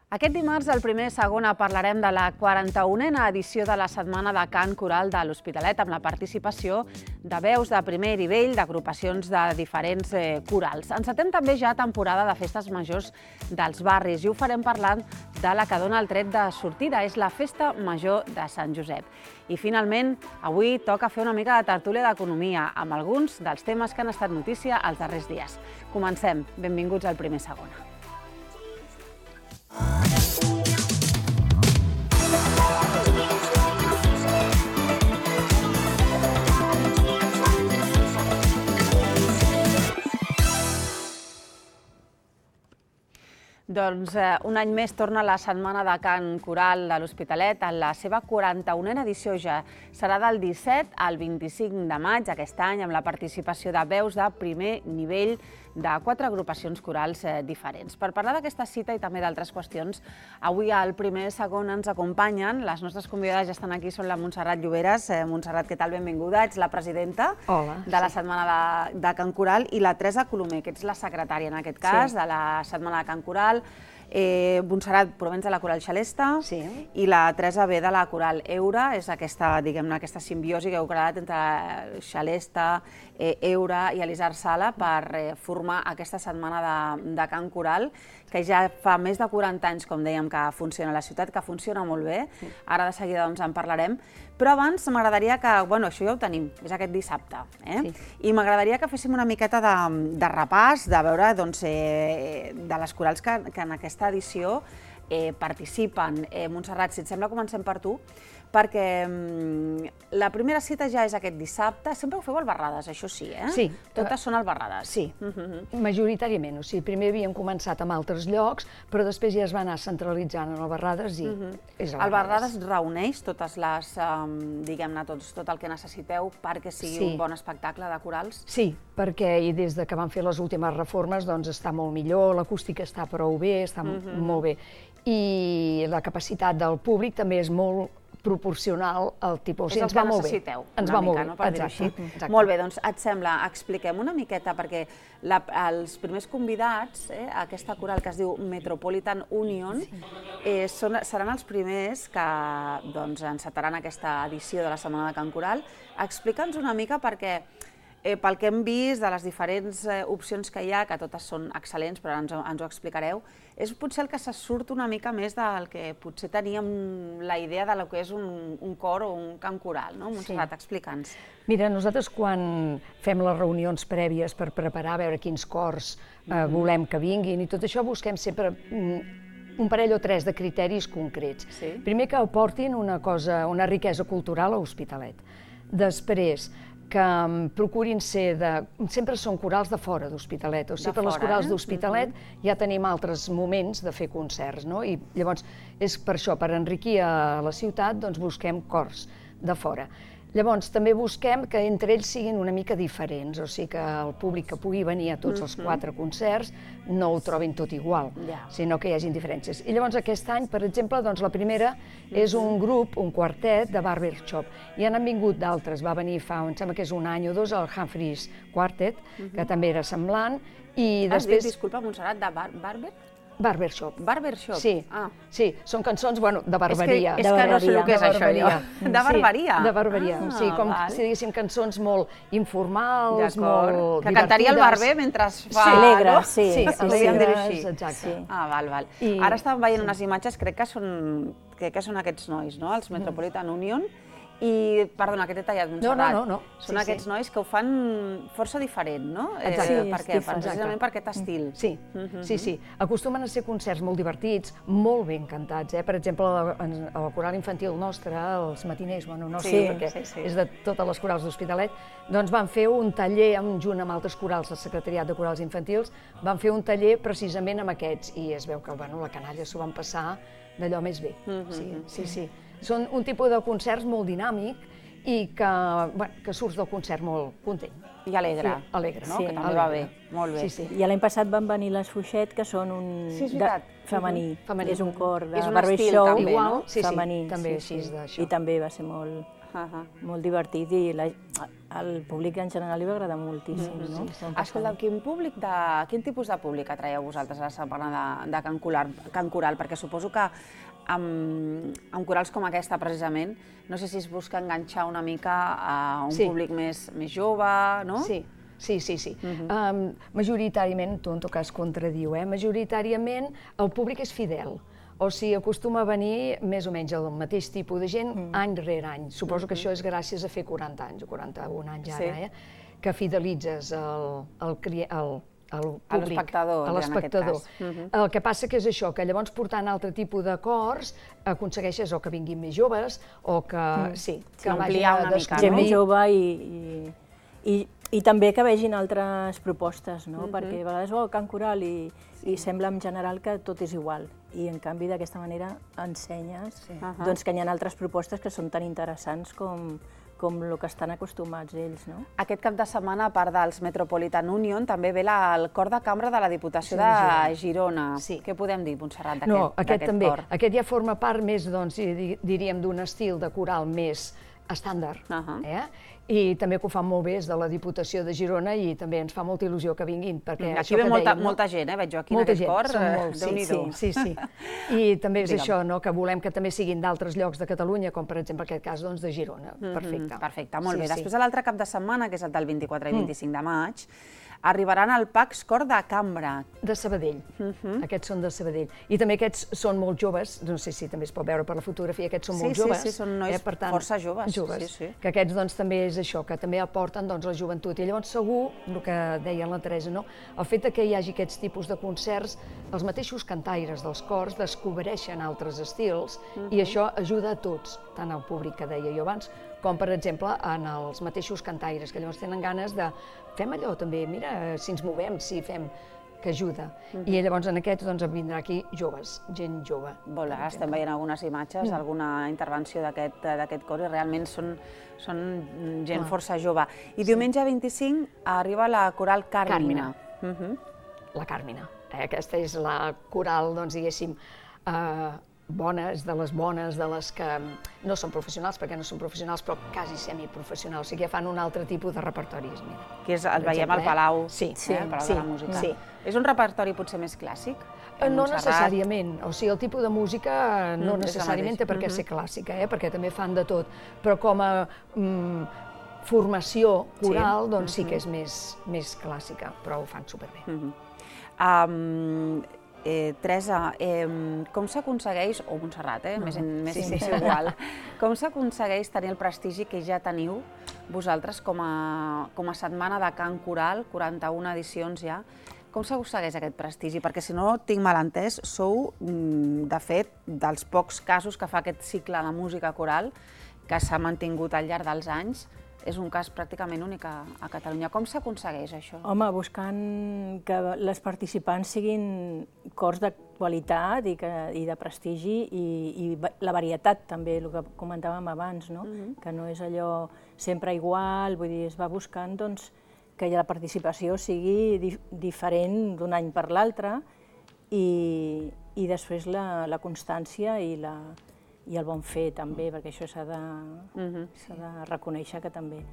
Aquest dimarts, al primer i segona, parlarem de la 41a edició de la Setmana de Cant Coral de l'Hospitalet, amb la participació de veus de primer nivell d'agrupacions de diferents corals. Encetem també ja temporada de festes majors dels barris i ho farem parlant de la que dona el tret de sortida, és la Festa Major de Sant Josep. I finalment, avui toca fer una mica de tertúlia d'economia amb alguns dels temes que han estat notícia els darrers dies. Comencem. Benvinguts al primer i segona. Doncs un any més torna la Setmana de Cant Coral de l'Hospitalet. En la seva 41a edició ja serà del 17 al 25 de maig aquest any, amb la participació de veus de primer nivell de 4 agrupacions corals diferents. Per parlar d'aquesta cita i també d'altres qüestions, avui al primer i segon ens acompanyen. Les nostres convidades ja estan aquí, són la Montserrat Lloberes. Montserrat, què tal? Benvinguda. Ets la presidenta de la Setmana de Cant Coral, i la Teresa Colomer, que ets la secretària, en aquest cas, de la Setmana de Cant Coral. Montserrat provens de la Coral Xalesta i la Teresa ve de la Coral Eura. És aquesta, diguem-ne, aquesta simbiosi que heu creat entre Xalesta, Eura i Elisard Sala per formar aquesta Setmana de Cant Coral, que ja fa més de 40 anys, com dèiem, que funciona a la ciutat, que funciona molt bé. Ara de seguida en parlarem. Però abans m'agradaria que, bueno, això ja ho tenim, és aquest dissabte, i m'agradaria que féssim una miqueta de repàs, de veure de les corals que en aquesta edició participen. Montserrat, si et sembla, comencem per tu, perquè la primera cita ja és aquest dissabte. Sempre ho feu al Barrades, això sí, eh? Sí. Totes són al Barrades. Sí, majoritàriament. O sigui, primer havíem començat amb altres llocs, però després ja es va anar centralitzant en el Barrades i és al Barrades. El Barrades reuneix totes les, diguem-ne, tot el que necessiteu perquè sigui un bon espectacle de corals? Sí, perquè des que van fer les últimes reformes doncs està molt millor, l'acústica està prou bé, està molt bé. I la capacitat del públic també és molt proporcional al tipus. És el que necessiteu, una mica, no? Per dir-ho així. Molt bé, doncs et sembla, expliquem una miqueta, perquè els primers convidats, aquesta coral que es diu Metropolitan Union, seran els primers que encetaran aquesta edició de la Setmana de Cant Coral. Explica'ns una mica, perquè pel que hem vist de les diferents opcions que hi ha, que totes són excel·lents, però ara ens ho explicareu, és potser el que se surt una mica més del que potser teníem la idea del que és un cor o un cant coral, no? Montserrat, explica'ns. Mira, nosaltres quan fem les reunions prèvies per preparar, a veure quins cors volem que vinguin i tot això, busquem sempre un parell o tres de criteris concrets. Primer, que aportin una riquesa cultural a l'Hospitalet. Després, que procurin ser sempre són corals de fora d'Hospitalet, o sigui, per les corals d'Hospitalet ja tenim altres moments de fer concerts, no? I llavors és per això, per enriquir a la ciutat, doncs busquem cors de fora. Llavors també busquem que entre ells siguin una mica diferents, o sigui que el públic que pugui venir a tots els 4 concerts no ho trobin tot igual, sinó que hi hagin diferències. I llavors aquest any, per exemple, la primera és un grup, un quartet de Barbershop, i han vingut d'altres. Va venir fa, em sembla que és un any o dos, el Humphreys Quartet, que també era semblant, i després... Disculpa, Montserrat, de Barber? Barbershop. Barbershop? Sí, són cançons, bueno, de barberia. És que no sé el que és això, jo. De barberia? De barberia, sí, com si diguéssim cançons molt informals, molt divertides. Que cantaria el barber mentre fa... Alegre, sí. Alegres, exacte. Val. Ara estàvem veient unes imatges, crec que són aquests nois, no? Els Metropolitan Union. I, perdona, que t'he tallat, Montserrat. No. Són aquests nois que ho fan força diferent, no? Exacte. Per què? Precisament per aquest estil. Sí. Acostumen a ser concerts molt divertits, molt ben cantats. Per exemple, a la coral infantil nostra, els matiners, no sé, perquè és de totes les corals d'Hospitalet, doncs van fer un taller, junt amb altres corals, el Secretariat de Corals Infantils, van fer un taller precisament amb aquests, i es veu que la canalla s'ho van passar d'allò més bé. Sí. Són un tipus de concerts molt dinàmic i que surts del concert molt content. I alegre. Alegre, no? Que també va bé. Molt bé. I l'any passat van venir les Fuixet, que són un femení. És un cor de barbershop femení. També així d'això. I també va ser molt... molt divertit i al públic en general li va agradar moltíssim. Escolta, quin tipus de públic atraieu vosaltres a la setmana de Can Coral? Perquè suposo que amb corals com aquesta, precisament, no sé si es busca enganxar una mica a un públic més jove, no? Sí. Majoritàriament, tu en tot cas contradiu, majoritàriament el públic és fidel. O sigui, acostuma a venir més o menys el mateix tipus de gent any rere any. Suposo que això és gràcies a fer 40 anys, o 41 anys ara, que fidelitzes el públic, a l'espectador. El que passa que és això, que llavors portant altre tipus de cors aconsegueixes o que vinguin més joves o que ampliar una mica. Gent més jove i també que vegin altres propostes, perquè a vegades Can Coral i sembla en general que tot és igual i en canvi d'aquesta manera ensenyes que hi ha altres propostes que són tan interessants com el que estan acostumats ells. Aquest cap de setmana, a part dels Metropolitan Union, també ve el cor de cambra de la Diputació de Girona. Què podem dir, Montserrat, d'aquest cor? Aquest ja forma part més, diríem, d'un estil de coral més estàndard. I també que ho fan molt bé és de la Diputació de Girona i també ens fa molta il·lusió que vinguin. Aquí ve molta gent, veig jo aquí en aquest cor, Déu-n'hi-do. Sí. I també és això, que volem que també siguin d'altres llocs de Catalunya, com per exemple en aquest cas de Girona. Perfecte, molt bé. Després de l'altre cap de setmana, que és el del 24 i 25 de maig, arribaran al Pax Cor de Cambra. De Sabadell. Aquests són de Sabadell. I també aquests són molt joves, no sé si també es pot veure per la fotografia, aquests són molt joves. Sí, són nois força joves. Que aquests també és això, que també aporten la joventut. I llavors segur, el que deia la Teresa, el fet que hi hagi aquests tipus de concerts, els mateixos cantaires dels cors descobreixen altres estils i això ajuda a tots, tant al públic que deia jo abans, com per exemple en els mateixos cantaires, que llavors tenen ganes de fem allò també, mira, si ens movem, si fem, que ajuda. I llavors en aquests vindrà aquí joves, gent jove. Estem veient algunes imatges, alguna intervenció d'aquest cor i realment són gent força jove. I diumenge 25 arriba la coral Càrmina. La Càrmina. Aquesta és la coral, diguéssim, bones, de les que no són professionals, perquè no són professionals, però quasi semiprofessionals, o sigui que fan un altre tipus de repertori. Que el veiem al Palau, al Palau de la Música. És un repertori potser més clàssic? No necessàriament, o sigui, el tipus de música no necessàriament té per què ser clàssica, perquè també fan de tot, però com a formació coral, doncs sí que és més clàssica, però ho fan superbé. Teresa, com s'aconsegueix, o Montserrat, més igual, com s'aconsegueix tenir el prestigi que ja teniu vosaltres com a setmana de Can Coral, 41 edicions ja, com s'aconsegueix aquest prestigi? Perquè si no tinc mal entès, sou, de fet, dels pocs casos que fa aquest cicle de música coral que s'ha mantingut al llarg dels anys. És un cas pràcticament únic a Catalunya. Com s'aconsegueix això? Home, buscant que les participants siguin cors de qualitat i de prestigi i la varietat també, el que comentàvem abans, que no és allò sempre igual, vull dir, es va buscant que la participació sigui diferent d'un any per l'altre i després la constància i el bon fer també, perquè això s'ha de reconèixer que també.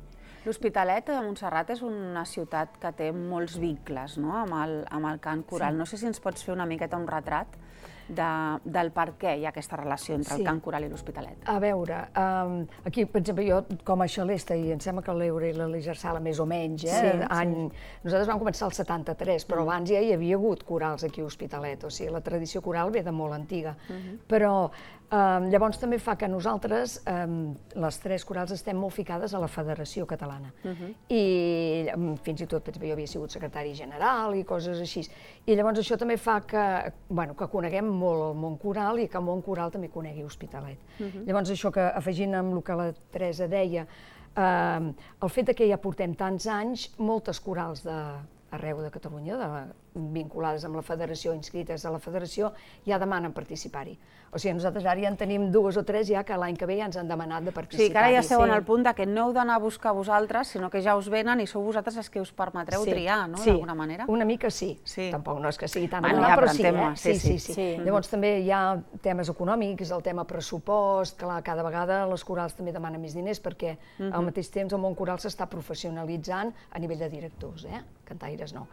L'Hospitalet de Montserrat és una ciutat que té molts vincles amb el cant coral. No sé si ens pots fer una miqueta un retrat del per què hi ha aquesta relació entre el cant coral i l'Hospitalet. A veure, aquí, per exemple, jo com a xalesta, i em sembla que l'Eure i la Ligersala més o menys, nosaltres vam començar el 73, però abans ja hi havia hagut corals aquí a Hospitalet, o sigui, la tradició coral ve de molt antiga. Però llavors també fa que nosaltres, les tres corals, estem molt ficades a la Federació Catalana. I fins i tot, jo havia sigut secretari general i coses així. I llavors això també fa que coneguem molt el món coral i que el món coral també conegui Hospitalet. Llavors això que, afegint amb el que la Teresa deia, el fet que ja portem tants anys, moltes corals d'arreu de Catalunya, vinculades amb la federació, inscrites a la federació, ja demanen participar-hi. O sigui, nosaltres ara ja en tenim 2 o 3 ja que l'any que ve ja ens han demanat de participar-hi. Sí, que ara ja esteu en el punt que no heu d'anar a buscar vosaltres, sinó que ja us venen i sou vosaltres els que us permetreu triar, no?, d'alguna manera. Sí, una mica sí. Tampoc no és que sigui tan regular, però sí. Llavors també hi ha temes econòmics, el tema pressupost, clar, cada vegada les corals també demanen més diners perquè al mateix temps el món coral s'està professionalitzant a nivell de directors, cantaires no.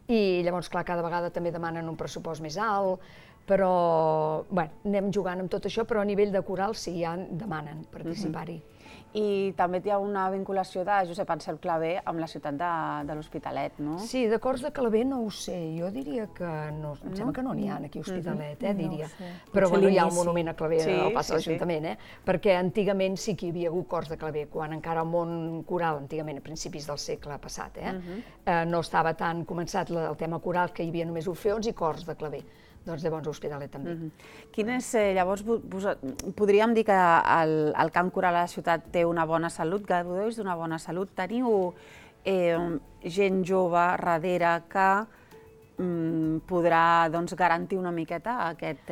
I llavors, clar, cada vegada també demanen un pressupost més alt, però anem jugant amb tot això, però a nivell de coral sí, ja demanen participar-hi. I també hi ha una vinculació de Josep Ansel Clavé amb la ciutat de l'Hospitalet, no? Sí, de cors de Clavé no ho sé, jo diria que no, em sembla que no n'hi ha aquí a Hospitalet, diria. Però hi ha un monument a Clavé al pas de l'Ajuntament, perquè antigament sí que hi havia hagut cors de Clavé, quan encara el món coral, antigament a principis del segle passat, no estava tan començat el tema coral, que hi havia només orfeons i cors de Clavé. Doncs llavors l'Hospitalet també. Llavors, podríem dir que el cant coral a la ciutat té una bona salut, gaudeix d'una bona salut. Teniu gent jove darrere que podrà garantir una miqueta aquest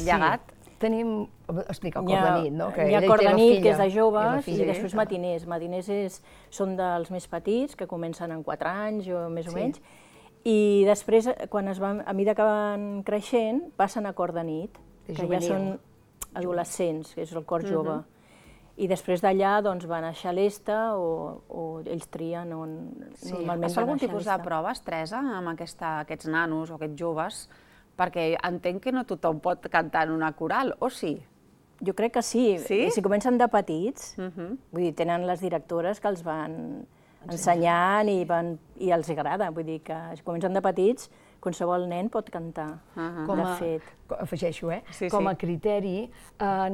llegat? Tenim, explica el cor de nit, no? Hi ha cor de nit, que és de joves, i després matiners. Matiners són dels més petits, que comencen en 4 anys o més o menys, i després, a mesura que van creixent, passen a cor de nit, que ja són adolescents, que és el cor jove. I després d'allà van a Xalesta o ells trien on normalment van a Xalesta. Es fa algun tipus de proves, Teresa, amb aquests nanos o aquests joves? Perquè entenc que no tothom pot cantar en una coral, o sí? Jo crec que sí. Si comencen de petits, vull dir, tenen les directores que els van ensenyant i els agrada, vull dir que si comencen de petits, qualsevol nen pot cantar, de fet. Afegeixo, com a criteri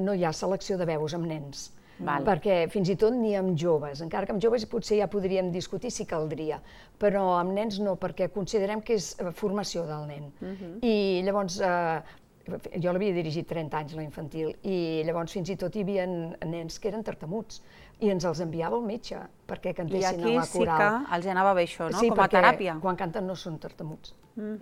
no hi ha selecció de veus amb nens, perquè fins i tot ni amb joves, encara que amb joves potser ja podríem discutir si caldria, però amb nens no, perquè considerem que és formació del nen. I llavors, jo l'havia dirigit 30 anys, la infantil, i llavors fins i tot hi havia nens que eren tartamuts, i ens els enviava el metge perquè cantessin a la coral. I aquí sí que els anava bé això, no? Com a teràpia. Sí, perquè quan canten no són tartamuts.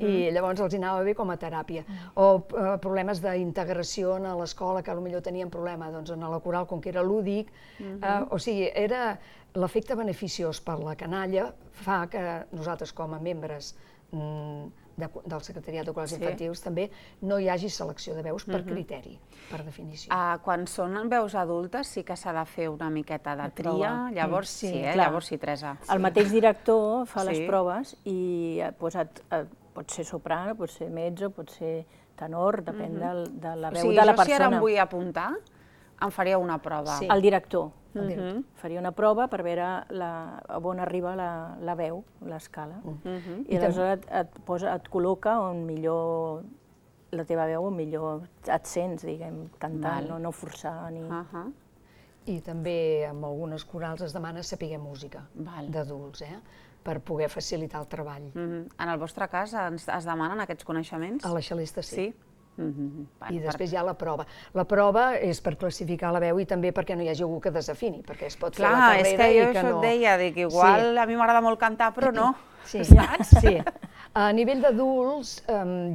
I llavors els anava bé com a teràpia. O problemes d'integració a l'escola, que potser tenien problema en la coral, com que era lúdic. O sigui, l'efecte beneficiós per la canalla fa que nosaltres, com a membres del Secretariat de Corals Infantils, també no hi hagi selecció de veus per criteri, per definició. Quan són veus adultes sí que s'ha de fer una miqueta de tria, llavors sí, Teresa. El mateix director fa les proves i pot ser soprano, pot ser mezzo, pot ser tenor, depèn de la veu de la persona. O sigui, jo si ara em vull apuntar, em faria una prova. El director faria una prova per veure on arriba la veu, l'escala. I aleshores et col·loca on millor la teva veu, on millor et sents, diguem, cantant, no forçar ni... I també en algunes corals es demana saber música d'adults, per poder facilitar el treball. En el vostre cas es demanen aquests coneixements? A la Xalesta sí. I després hi ha la prova. La prova és per classificar la veu i també perquè no hi hagi algú que desafini, perquè es pot fer la carrera i que no... Clar, és que jo això et deia, que igual a mi m'agrada molt cantar, però no. Saps? Sí. A nivell d'adults,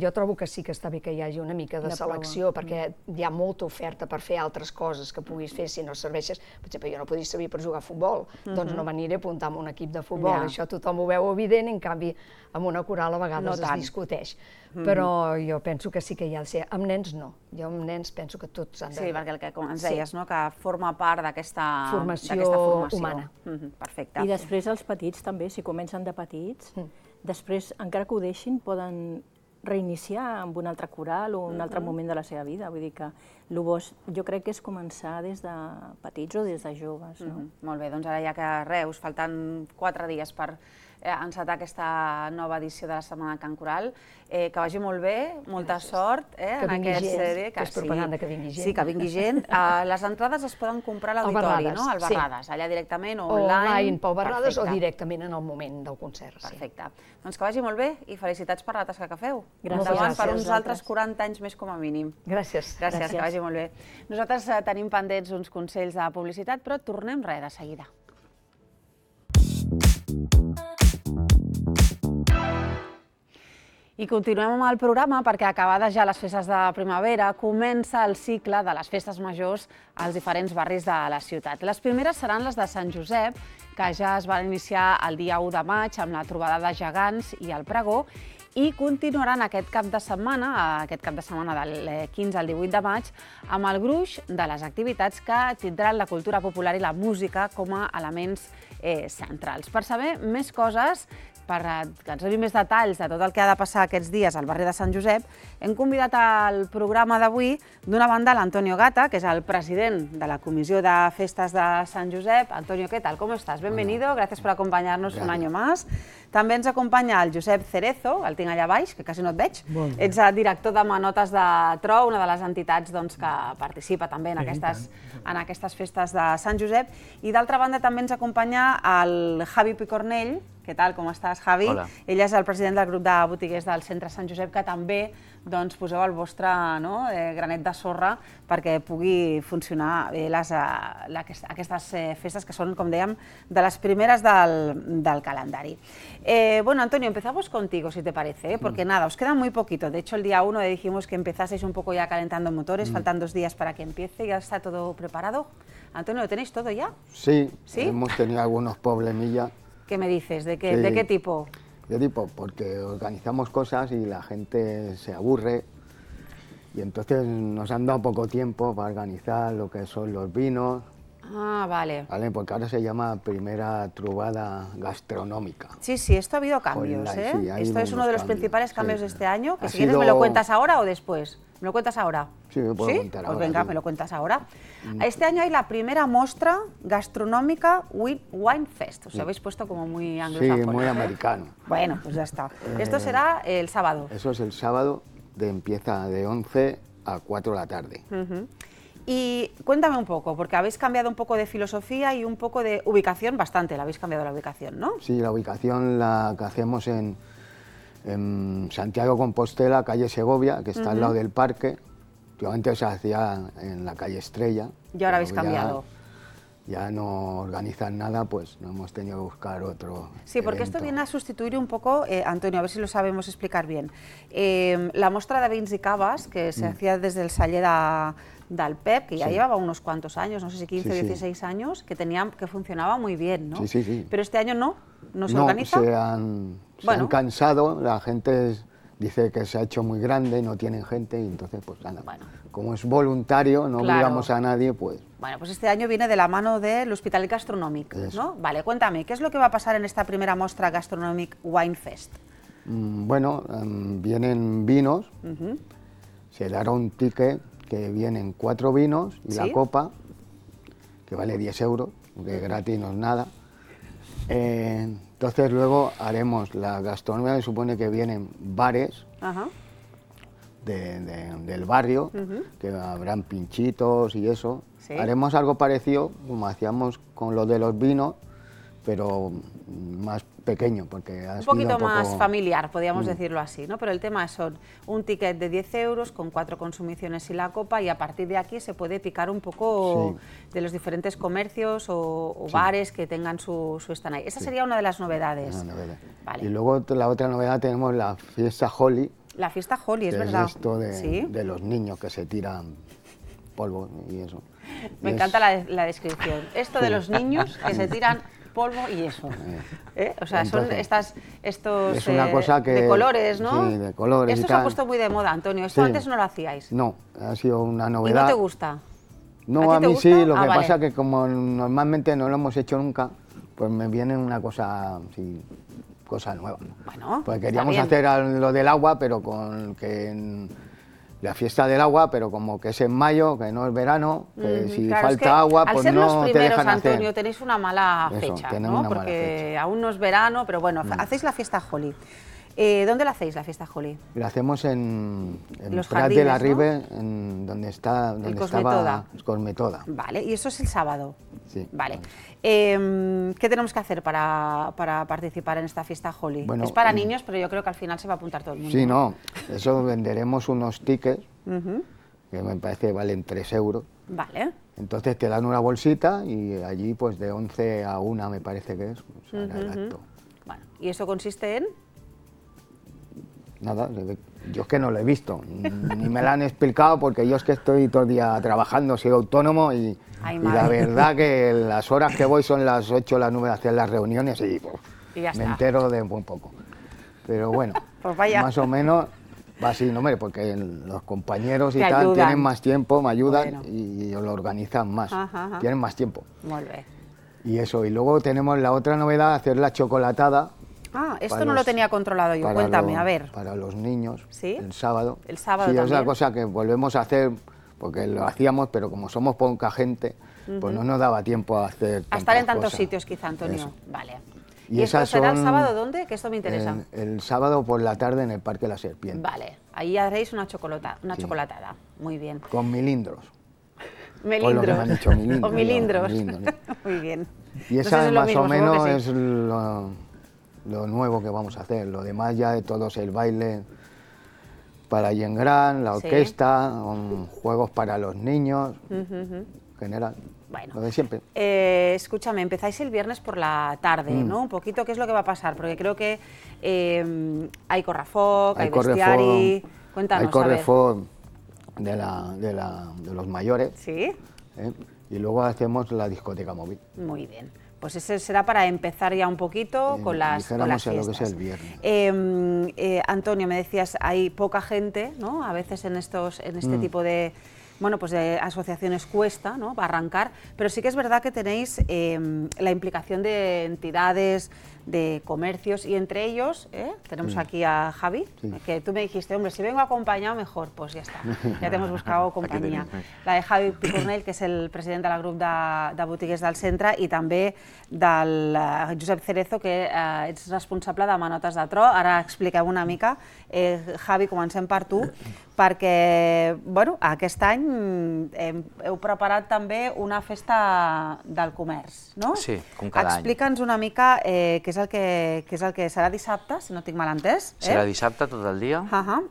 jo trobo que sí que està bé que hi hagi una mica de selecció, perquè hi ha molta oferta per fer altres coses que puguis fer si no serveixes. Per exemple, jo no podria servir per jugar a futbol, doncs no m'aniré a apuntar en un equip de futbol. Això tothom ho veu evident, en canvi, amb una coral a vegades es discuteix. Però jo penso que sí que hi ha de ser. Amb nens no. Jo amb nens penso que tots han de... Sí, perquè el que ens deies, que forma part d'aquesta formació humana. Perfecte. I després els petits també, si comencen de petits, després, encara que ho deixin, poden reiniciar amb un altre coral o un altre moment de la seva vida. Vull dir que el bo jo crec que és començar des de petits o des de joves. Molt bé, doncs ara ja que us falten 4 dies per encetar aquesta nova edició de la Setmana de Cant Coral. Que vagi molt bé, molta sort en aquesta sèrie. Que és propaganda, que vingui gent. Sí, que vingui gent. Les entrades es poden comprar a l'auditori, no? Al Barrades, allà directament o online. Online pel Barrades o directament en el moment del concert. Perfecte. Doncs que vagi molt bé i felicitats per la tasca que feu. Gràcies. Per uns altres 40 anys més com a mínim. Gràcies. Gràcies, que vagi molt bé. Nosaltres tenim pendents uns consells de publicitat, però tornem de seguida. I continuem amb el programa perquè acabades ja les festes de primavera comença el cicle de les festes majors als diferents barris de la ciutat. Les primeres seran les de Sant Josep, que ja es van iniciar el dia 1 de maig amb la trobada de gegants i el pregó, i continuaran aquest cap de setmana del 15 al 18 de maig, amb el gruix de les activitats que tindran la cultura popular i la música com a elements centrals. Per saber més coses, per que ens donin més detalls de tot el que ha de passar aquests dies al barri de Sant Josep, hem convidat al programa d'avui, d'una banda, l'Antonio Gata, que és el president de la Comissió de Festes de Sant Josep. Antonio, ¿qué tal? ¿Cómo estás? Bienvenido, gracias por acompañarnos un año más. També ens acompanya el Josep Cerezo, el tinc allà baix, que quasi no et veig. Ets el director de Manotes de Tro, una de les entitats que participa també en aquestes festes de Sant Josep. I d'altra banda també ens acompanya el Javi Picornell. Què tal, com estàs, Javi? Hola. Ell és el president del grup de botiguers del centre Sant Josep, que també poseu el vostre granet de sorra perquè pugui funcionar bé aquestes festes que són, com dèiem, de les primeres del calendari. Bueno, Antonio, empezamos contigo, si te parece, porque nada, os queda muy poquito. De hecho, el día 1 dijimos que empezaseis un poco ya calentando motores, faltan 2 días para que empiece, ya está todo preparado. Antonio, ¿lo tenéis todo ya? Sí, hemos tenido algunos problemillas. ¿Qué me dices? ¿De qué tipo? ¿De tipo? Porque organizamos cosas y la gente se aburre y entonces nos han dado poco tiempo para organizar lo que son los vinos. Ah, vale. Porque ahora se llama primera trobada gastronómica. Sí, esto ha habido cambios, Sí, esto es uno de los principales cambios de este año, que si sido... quieres me lo cuentas ahora o después. ¿Me lo cuentas ahora? Sí, me puedo contar ahora. Pues venga, me lo cuentas ahora. Este año hay la primera muestra gastronómica Wine Fest. Os habéis puesto como muy anglosajón. Sí, muy americano. Bueno, pues ya está. Esto será el sábado. Eso es el sábado, empieza de 11 a 4 de la tarde. Y cuéntame un poco, porque habéis cambiado un poco de filosofía y un poco de ubicación, bastante, la habéis cambiado la ubicación, ¿no? Sí, la ubicación la que hacemos en Santiago Compostela, calle Segovia, que está al lado del parque. Últimamente se hacía en la calle Estrella. Y ahora habéis cambiado. Ya no organizan nada, pues no hemos tenido que buscar otro. Sí, porque evento. esto viene a sustituir un poco, Antonio, a ver si lo sabemos explicar bien, la muestra de vins y cavas que se hacía desde el celler del Pep, que ya llevaba unos cuantos años, no sé si 15 o 16 años, que funcionaba muy bien, ¿no? Sí. Pero este año no se organiza. Se han cansado, la gente dice que se ha hecho muy grande, no tienen gente, y entonces pues nada, como es voluntario, no obligamos a nadie, pues... Bueno, pues este año viene de la mano del Hospitalet Gastronòmic, ¿no? Vale, cuéntame, ¿qué es lo que va a pasar en esta primera muestra Gastronomic Wine Fest? Bueno, vienen vinos, se dará un ticket que vienen 4 vinos y la copa, que vale 10 euros, que gratis no es nada. Entonces luego haremos la gastronomía, que supone que vienen bares del barrio, que habrán pinchitos y eso. Haremos algo parecido como hacíamos con lo de los vinos, pero más pequeño, porque un poquito más familiar, podríamos decirlo así, ¿no? Pero el tema son un ticket de 10 euros con 4 consumiciones y la copa, y a partir de aquí se puede picar un poco de los diferentes comercios o bares que tengan su stand ahí. Esa sería una de las novedades. Una novedad. Vale. Y luego la otra novedad tenemos la fiesta Holly. La fiesta Holly, es que verdad. Es esto de los niños que se tiran polvo y eso. Me encanta la descripción. Esto de los niños que se tiran polvo y eso. O sea, entonces, son estos es una cosa que, de colores, ¿no? Sí, de colores. Esto se ha puesto muy de moda, Antonio. ¿Esto antes no lo hacíais? No, ha sido una novedad. ¿Y no te gusta? No, a mí sí, lo que pasa es que como normalmente no lo hemos hecho nunca, pues me viene una cosa así, cosa nueva. Bueno, pues queríamos hacer lo del agua, pero la fiesta del agua, pero como que es en mayo, que no es verano, que si falta agua, pues no te dejan hacer. Antonio, tenéis una mala fecha, ¿no? Porque aún no es verano, pero bueno, hacéis la fiesta Holly. ¿Dónde la hacéis, la fiesta Holly? La hacemos en Prat de la Ribe, donde estaba Cosmetoda. Vale, y eso es el sábado. Sí. Vale. ¿Qué tenemos que hacer para participar en esta fiesta Holly? Bueno, es para niños, pero yo creo que al final se va a apuntar todo el mundo. Sí, no, eso venderemos unos tickets, que me parece que valen 3 euros. Vale. Entonces te dan una bolsita y allí pues de 11 a 1 me parece que es, pues, hará el acto. Bueno, ¿y eso consiste en? nada, yo es que no lo he visto, ni me lo han explicado porque yo es que estoy todo el día trabajando, soy autónomo y la verdad que las horas que voy son las 8 o las 9 a hacer las reuniones y me entero de muy poco. Pero bueno, pues vaya. Más o menos va así, no, hombre, porque los compañeros y tal tienen más tiempo, me ayudan y lo organizan más, tienen más tiempo. Muy bien. Y eso, y luego tenemos la otra novedad, hacer la chocolatada. Ah, esto no lo tenía controlado yo, cuéntame, a ver. Para los niños, ¿Sí? el sábado. El sábado sí, también. Es una cosa que volvemos a hacer, porque lo hacíamos, pero como somos poca gente, pues no nos daba tiempo a hacer a estar en tantos cosas. sitios quizá, Antonio. Eso. Vale. ¿Y esto será el sábado dónde? Que esto me interesa. El sábado por la tarde en el Parque La Serpiente. Vale, ahí haréis una chocolatada. Muy bien. Con milindros. Melindros. Por lo que me han dicho, milindros. O milindros. milindros. Muy bien. Y esa más o menos es lo nuevo que vamos a hacer. Lo demás ya de todos el baile para Yengran, la orquesta, juegos para los niños, general. Bueno, lo de siempre. Escúchame, empezáis el viernes por la tarde, ¿no? Un poquito, ¿qué es lo que va a pasar? Porque creo que hay correfoc, hay bestiari... Cuéntanos, hay correfoc de los mayores. ¿Sí? Y luego hacemos la discoteca móvil. Muy bien. Pues ese será para empezar ya un poquito con las fiestas. Lo que es el viernes. Antonio, me decías, hay poca gente, ¿no? A veces en este tipo de... Bueno, pues de asociaciones cuesta, ¿no?, para arrancar, pero sí que es verdad que tenéis la implicación de entidades, de comercios, y entre ellos tenemos aquí a Javi, que tú me dijiste, hombre, si vengo acompañado mejor, pues ya está, ya te hemos buscado compañía. La de Javi Picornell, que és el president del grup de botiguers del centre, i també del Josep Cerezo, que ets responsable de Manotes de Tro. Ara expliqueu una mica. Javi, comencem per tu, perquè bueno, aquest any heu preparat també una festa del comerç, no? Sí, com cada any. Explica'ns una mica què és el que serà dissabte, si no tinc mal entès. Serà dissabte tot el dia.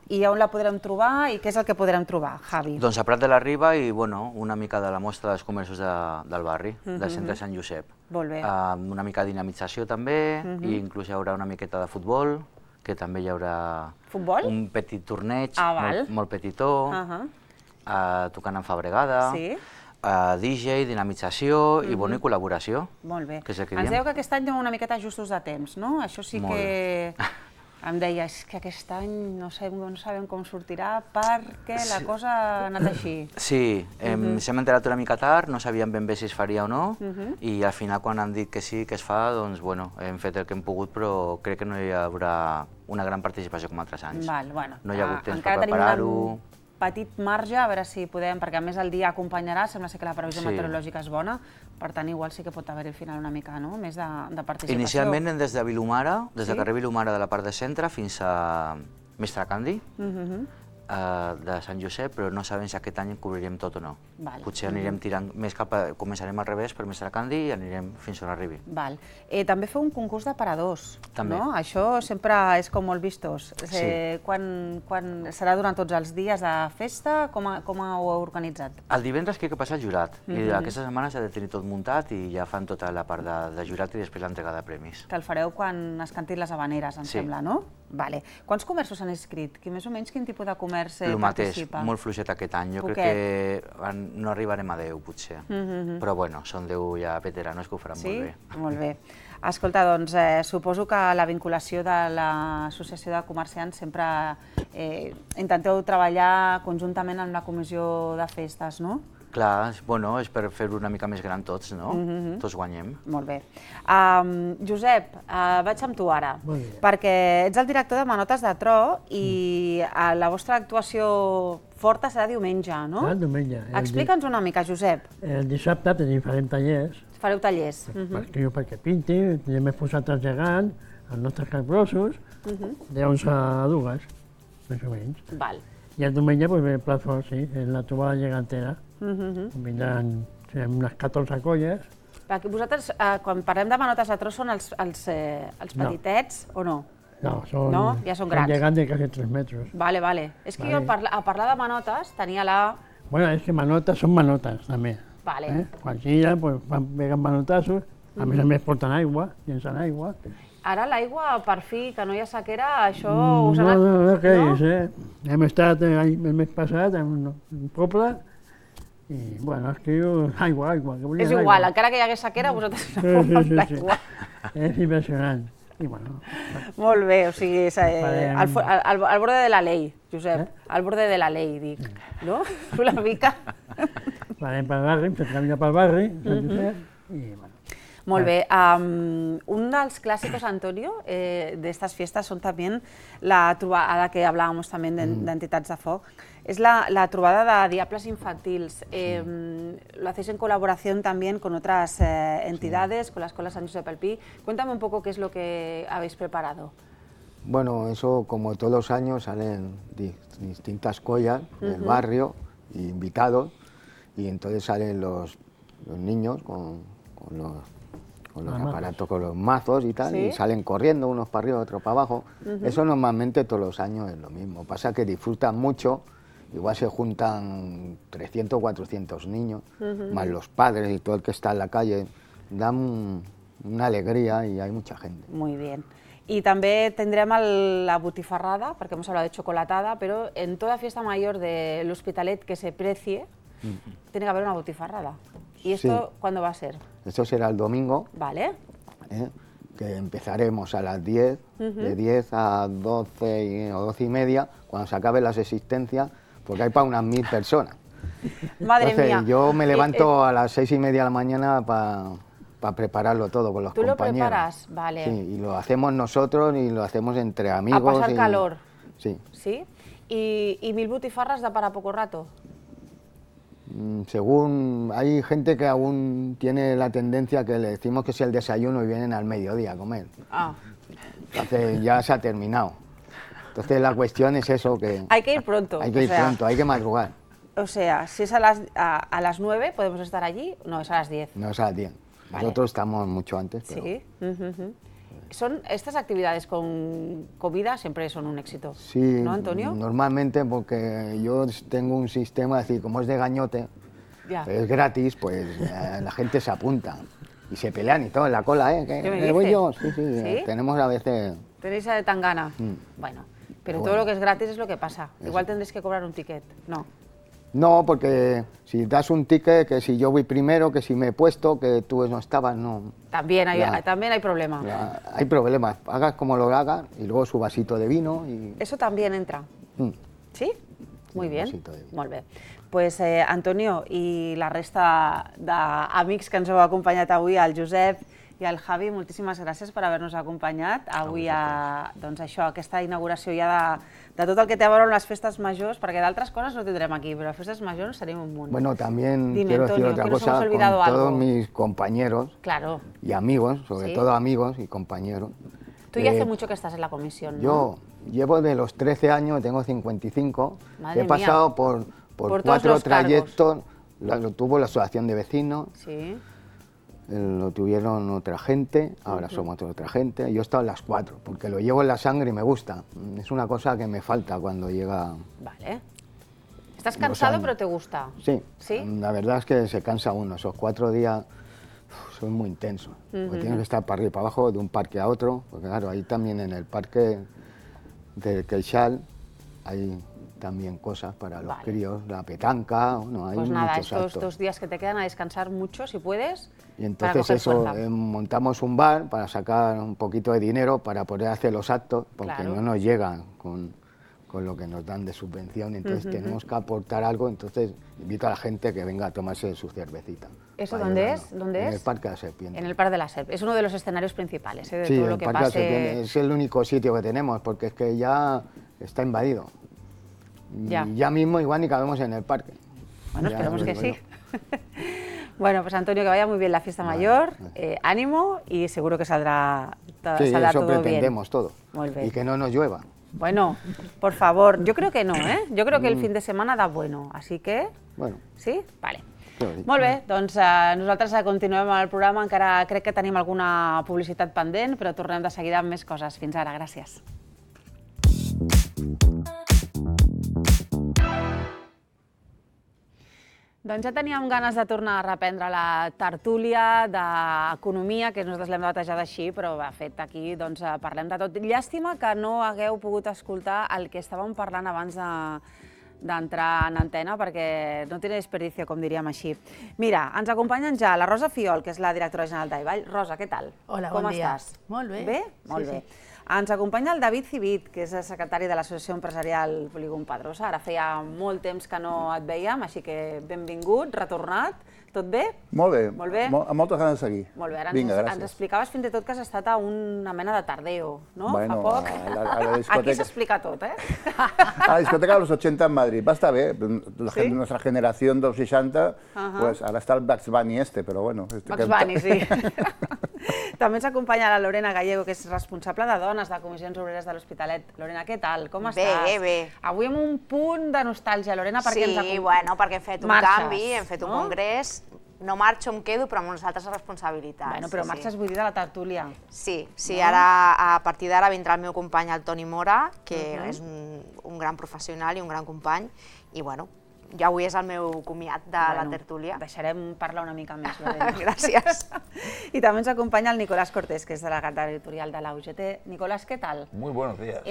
I on la podrem trobar i què és el que podrem trobar, Javi? Doncs a Prat de la Riba i bueno, una mica de la mostra dels comerços del barri, del centre de Sant Josep. Molt bé. Una mica de dinamització també, i inclús hi haurà una miqueta de futbol, que també hi haurà un petit torneig, molt petitó, tocant en Fabregada, DJ, dinamització i col·laboració. Molt bé. Ens dèieu que aquest any anem una miqueta justos de temps, no? Això sí que em deia, és que aquest any no sabem com sortirà perquè la cosa ha anat així. Sí, s'hem enterat una mica tard, no sabíem ben bé si es faria o no, i al final quan han dit que sí, que es fa, doncs bueno, hem fet el que hem pogut, però crec que no hi haurà una gran participació com altres anys. No hi ha hagut temps per preparar-ho. Petit marge, a veure si podem, perquè a més el dia acompanyarà, sembla ser que la previsió meteorològica és bona, per tant igual sí que pot haver al final una mica més de participació. Inicialment des de Vilomara, des del carrer Vilomara de la part de centre fins a Mestre Candi, de Sant Josep, però no sabem si aquest any cobrirem tot o no. Potser anirem tirant més cap a... Començarem al revés per Mestre Candi i anirem fins on arribi. També feu un concurs d'aparadors, no? Això sempre és com molt vistós. Quan serà durant tots els dies de festa? Com ho heu organitzat? El divendres crec que passa el jurat, i aquesta setmana s'ha de tenir tot muntat i ja fan tota la part de jurat i després l'entrega de premis. Que el fareu quan es cantin les habaneres, em sembla, no? Quants comerços s'han inscrit? Més o menys quin tipus de comerç participa? El mateix, molt fluixet aquest any. Jo crec que no arribarem a 10, potser. Però bueno, són 10 ja veteranos que ho faran molt bé. Sí? Molt bé. Escolta, doncs suposo que la vinculació de l'Associació de Comerciants sempre intenteu treballar conjuntament amb la Comissió de Festes, no? Clar, és per fer-ho una mica més gran tots, no? Tots guanyem. Molt bé. Josep, vaig amb tu ara, perquè ets el director de Manotes de Tro i la vostra actuació forta serà diumenge, no? Diumenge. Explica'ns una mica, Josep. El dissabte farem tallers. Fareu tallers. Perquè pinti, tenim exposat engegant els nostres capgrossos, de 11 a 2, més o menys. I el diumenge ve el plat fort, sí, en la trobada gegantera. Vindran unes 14 colles. Vosaltres, quan parlem de Manotes de Tro, són els petitets o no? No, ja són grans. Són gegants de quasi 3 metres. Vale. És que jo a parlar de manotes tenia la... Bueno, és que manotes són manotes, també. Quan gira, van pegant manotassos, a més porten aigua, llencen aigua, Ara l'aigua, per fi, que no hi ha sequera, això us ha anat... No creix, Hem estat el mes passat en un poble i, bueno, es que aigua, que volien És igual, encara que hi hagués sequera, vosaltres aneu amb l'aigua. És impressionant. I, bueno... Molt bé, o sigui, al borde de la ley, Josep, al borde de la ley, dic, no? Una mica. Farem pel barri, hem fet caminar pel barri, Sant Josep, i, bueno... Molt bé. Un dels clásicos, Antonio, de estas fiestas son también la trobada, ara que hablábamos también de entitats de foc, es la trobada de diables infantils. Lo hacéis en colaboración también con otras entidades, con la Escuela San Josep el Pi. Cuéntame un poco qué es lo que habéis preparado. Bueno, eso como todos los años salen distintas collas del barrio, invitados, y entonces salen los niños con los aparatos, con los mazos y tal, ¿sí? Y salen corriendo unos para arriba, otros para abajo. Eso normalmente todos los años es lo mismo. Pasa que disfrutan mucho, igual se juntan 300 o 400 niños, más los padres y todo el que está en la calle, dan una alegría y hay mucha gente. Muy bien. Y también tendremos la botifarrada, porque hemos hablado de chocolatada, pero en toda fiesta mayor del Hospitalet que se precie, tiene que haber una botifarrada. ¿Y esto cuándo va a ser? Esto será el domingo. Vale. Que empezaremos a las 10, de 10 a 12 o 12 y media, cuando se acaben las existencias, porque hay para unas 1000 personas. Madre Entonces, mía. Yo me levanto a las 6:30 de la mañana para prepararlo todo con los compañeros. ¿Tú lo preparas? Vale. Sí, y lo hacemos nosotros y lo hacemos entre amigos. A pasar calor. Sí. ¿Sí? ¿Y 1000 butifarras da para poco rato? Según, hay gente que aún tiene la tendencia que le decimos que es el desayuno y vienen al mediodía a comer. Entonces ya se ha terminado. Entonces la cuestión es eso, que... Hay que ir pronto. Hay que ir pronto, hay que madrugar. O sea, si es a las 9, ¿podemos estar allí? No, es a las 10. No, es a las 10. Vale. Nosotros estamos mucho antes, pero... Sí. Estas actividades con comida siempre son un éxito, sí, ¿no, Antonio? Normalmente, porque yo tengo un sistema, es decir, como es de gañote, es gratis, pues la gente se apunta y se pelean y todo en la cola, ¿eh? ¿Que voy yo? Sí, tenemos a veces... ¿Tenéis de tangana? Bueno, pero todo lo que es gratis es lo que pasa. Igual tendréis que cobrar un ticket, ¿no? No, porque si das un ticket, que si yo voy primero, que si me he puesto, que tú no estabas, no. También hay problemas. Hay problemas. Hagas como lo hagas y luego su vasito de vino. Y... Eso también entra. ¿Sí? Muy bien. Molt bé. Pues, Antonio, i la resta d'amics que ens heu acompanyat avui, el Josep i el Javi, moltíssimes gràcies per haver-nos acompanyat avui a aquesta inauguració ja de tot el que té a veure amb les festes majors, perquè d'altres coses no tindrem aquí, però les festes majors tenim un munt. Bueno, también quiero decir otra cosa, con todos mis compañeros y amigos, sobre todo amigos y compañeros. Tú ya hace mucho que estás en la comisión, ¿no? Yo llevo de los 13 años, tengo 55, he pasado por 4 trayectos, lo tuvo la asociación de vecinos, lo tuvieron otra gente, ahora somos otra gente. Yo he estado en las 4, porque lo llevo en la sangre y me gusta. Es una cosa que me falta cuando llega... Vale. ¿Estás cansado pero te gusta? Sí, la verdad es que se cansa uno. Esos 4 días son muy intensos. Porque tienes que estar para arriba y para abajo, de un parque a otro. Porque claro, ahí también en el parque de Queixal hay también cosas para los críos, la petanca, no, hay pues nada, muchos estos actos. 2 días que te quedan a descansar mucho, si puedes. Y entonces montamos un bar para sacar un poquito de dinero para poder hacer los actos, porque no nos llegan con lo que nos dan de subvención, entonces tenemos que aportar algo, entonces invito a la gente que venga a tomarse su cervecita. ¿Eso dónde es? En el Parque de la Serpiente. En el Parque de la Serpiente. Es uno de los escenarios principales, de sí, todo lo que Parque pase... de la Serpiente es el único sitio que tenemos, porque es que ya está invadido. Y ya mismo igual ni cabemos en el parque. Bueno, esperemos que sí. Bueno, pues Antonio, que vaya muy bien la fiesta mayor, ánimo y seguro que saldrá todo bien. Sí, eso pretendemos todo. Y que no nos llueva. Bueno, por favor, yo creo que no, ¿eh? Yo creo que el fin de semana da bueno, así que... Bueno. Sí? Vale. Molt bé, doncs nosaltres continuem amb el programa, encara crec que tenim alguna publicitat pendent, però tornem de seguida amb més coses. Fins ara, gràcies. Doncs ja teníem ganes de tornar a reprendre la tertúlia d'economia, que nosaltres l'hem batejat així, però de fet aquí parlem de tot. Llàstima que no hagueu pogut escoltar el que estàvem parlant abans d'entrar en antena, perquè no tiene desperdicio, com diríem així. Mira, ens acompanyen ja la Rosa Fiol, que és la directora general d'Aivall. Rosa, què tal? Hola, bon dia. Com estàs? Molt bé. Bé? Molt bé. Ens acompanya el David Civit, que és el secretari de l'Associació Empresarial Polígon Pedrosa. Ara feia molt temps que no et veiem, així que benvingut, retornat. Tot bé? Molt bé. Molt bé? Amb moltes ganes de seguir. Molt bé. Ara Vinga, ens explicaves fins i tot que has estat a una mena de tardeo, no? Bueno, fa poc. a la discoteca. Aquí s'explica tot, eh? A la discoteca de los 80 en Madrid. Va estar bé. Nuestra generación de los 60, pues ahora está el Bugs Bunny pero bueno. Bugs Bunny, sí. També ens acompanya la Lorena Gallego, que és responsable de dones de Comissions Obreres de l'Hospitalet. Lorena, què tal? Com estàs? Bé, bé. Avui amb un punt de nostàlgia, Lorena, perquè ens Sí, bueno, perquè hem fet un canvi, hem fet un congrés. No marxo, em quedo, però amb unes altres responsabilitats. Bueno, però marxes, vull dir, de la tertúlia. Sí, ara, a partir d'ara, vindrà el meu company, el Toni Mora, que és un gran professional i un gran company, i bueno, ja avui és el meu comiat de la tertúlia. Deixarem parlar una mica més, Lorena. Gràcies. I també ens acompanya el Nicolás Cortés, que és delegat editorial de la UGT. Nicolás, ¿qué tal? Muy buenos días.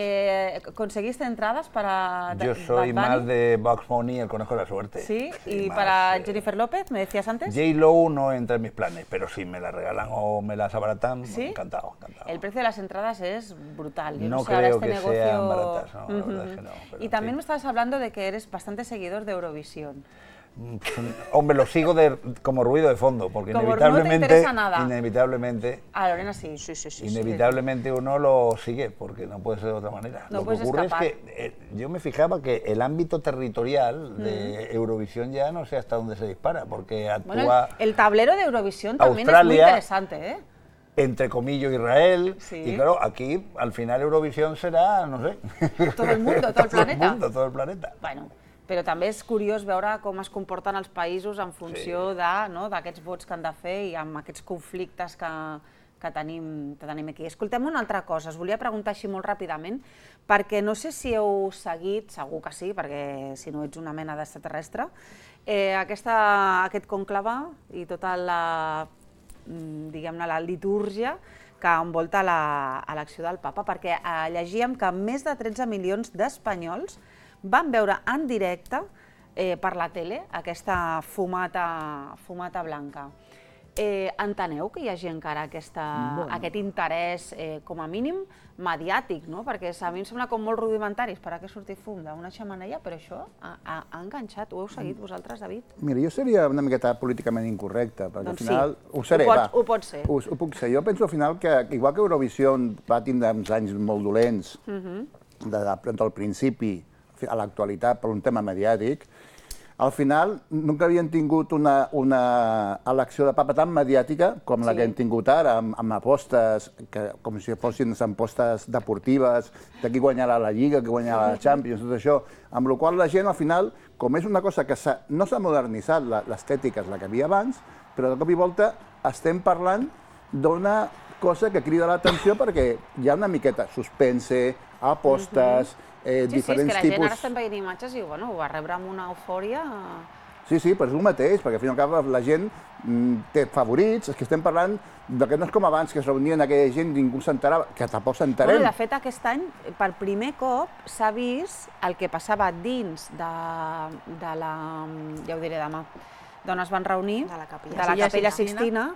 ¿Conseguiste entradas para Yo soy más de Bugs Bunny, el conejo de la suerte. ¿Sí? ¿Y para Jennifer López, me decías antes? J-Lo no entra en mis planes, pero si me la regalan o me las abaratan, ¿sí? Encantado, encantado. El precio de las entradas es brutal. Yo no creo que sean baratas, no, la verdad es que no. Y también me estabas hablando de que eres bastante seguidor de Eurovisión. Hombre, lo sigo como ruido de fondo, porque como inevitablemente, no te interesa nada. Inevitablemente, Lorena sí. Inevitablemente uno lo sigue, porque no puede ser de otra manera. No lo que ocurre es que yo me fijaba que el ámbito territorial de Eurovisión ya no sé hasta dónde se dispara, porque actúa... Bueno, el tablero de Eurovisión también es muy interesante, ¿eh? Entre comillas Israel, y claro, aquí al final Eurovisión será, no sé... Todo el mundo, todo el planeta. Todo el planeta. Bueno, però també és curiós veure com es comporten els països en funció d'aquests vots que han de fer i amb aquests conflictes que tenim aquí. Escoltem una altra cosa, us volia preguntar així molt ràpidament, perquè no sé si heu seguit, segur que sí, perquè si no ets una mena d'extraterrestre, aquest conclave i tota la, diguem-ne, la litúrgia que envolta l'elecció del papa, perquè llegíem que més de 13 milions d'espanyols van veure en directe per la tele aquesta fumata blanca. Enteneu que hi hagi encara aquest interès, com a mínim, mediàtic, no? Perquè a mi em sembla com molt rudimentari esperar que surti fum d'una xemeneia, però això ha enganxat. Ho heu seguit vosaltres, David? Mira, jo seria una miqueta políticament incorrecte, perquè al final... Ho seré, va. Ho pot ser. Ho puc ser. Jo penso al final que, igual que Eurovisió va tindre uns anys molt dolents, del principi a l'actualitat per un tema mediàtic, al final nunca havien tingut una elecció de papa tan mediàtica com la que hem tingut ara, amb apostes, com si fossin apostes deportives, de qui guanyarà la Lliga, qui guanyarà la Champions, tot això, amb la qual la gent al final, com és una cosa que no s'ha modernitzat, l'estètica és la que havia abans, però de cop i volta estem parlant d'una cosa que crida l'atenció perquè hi ha una miqueta suspense, apostes, diferents tipus... Sí, és que la gent ara estem veient imatges i ho va rebre amb una eufòria... Sí, però és el mateix, perquè al fin i al cap la gent té favorits, és que estem parlant que no és com abans, que es reunien aquella gent, ningú s'enterava, que tampoc s'enterem. De fet, aquest any, per primer cop, s'ha vist el que passava dins de la... ja ho diré demà, d'on es van reunir, de la Capella Sixtina,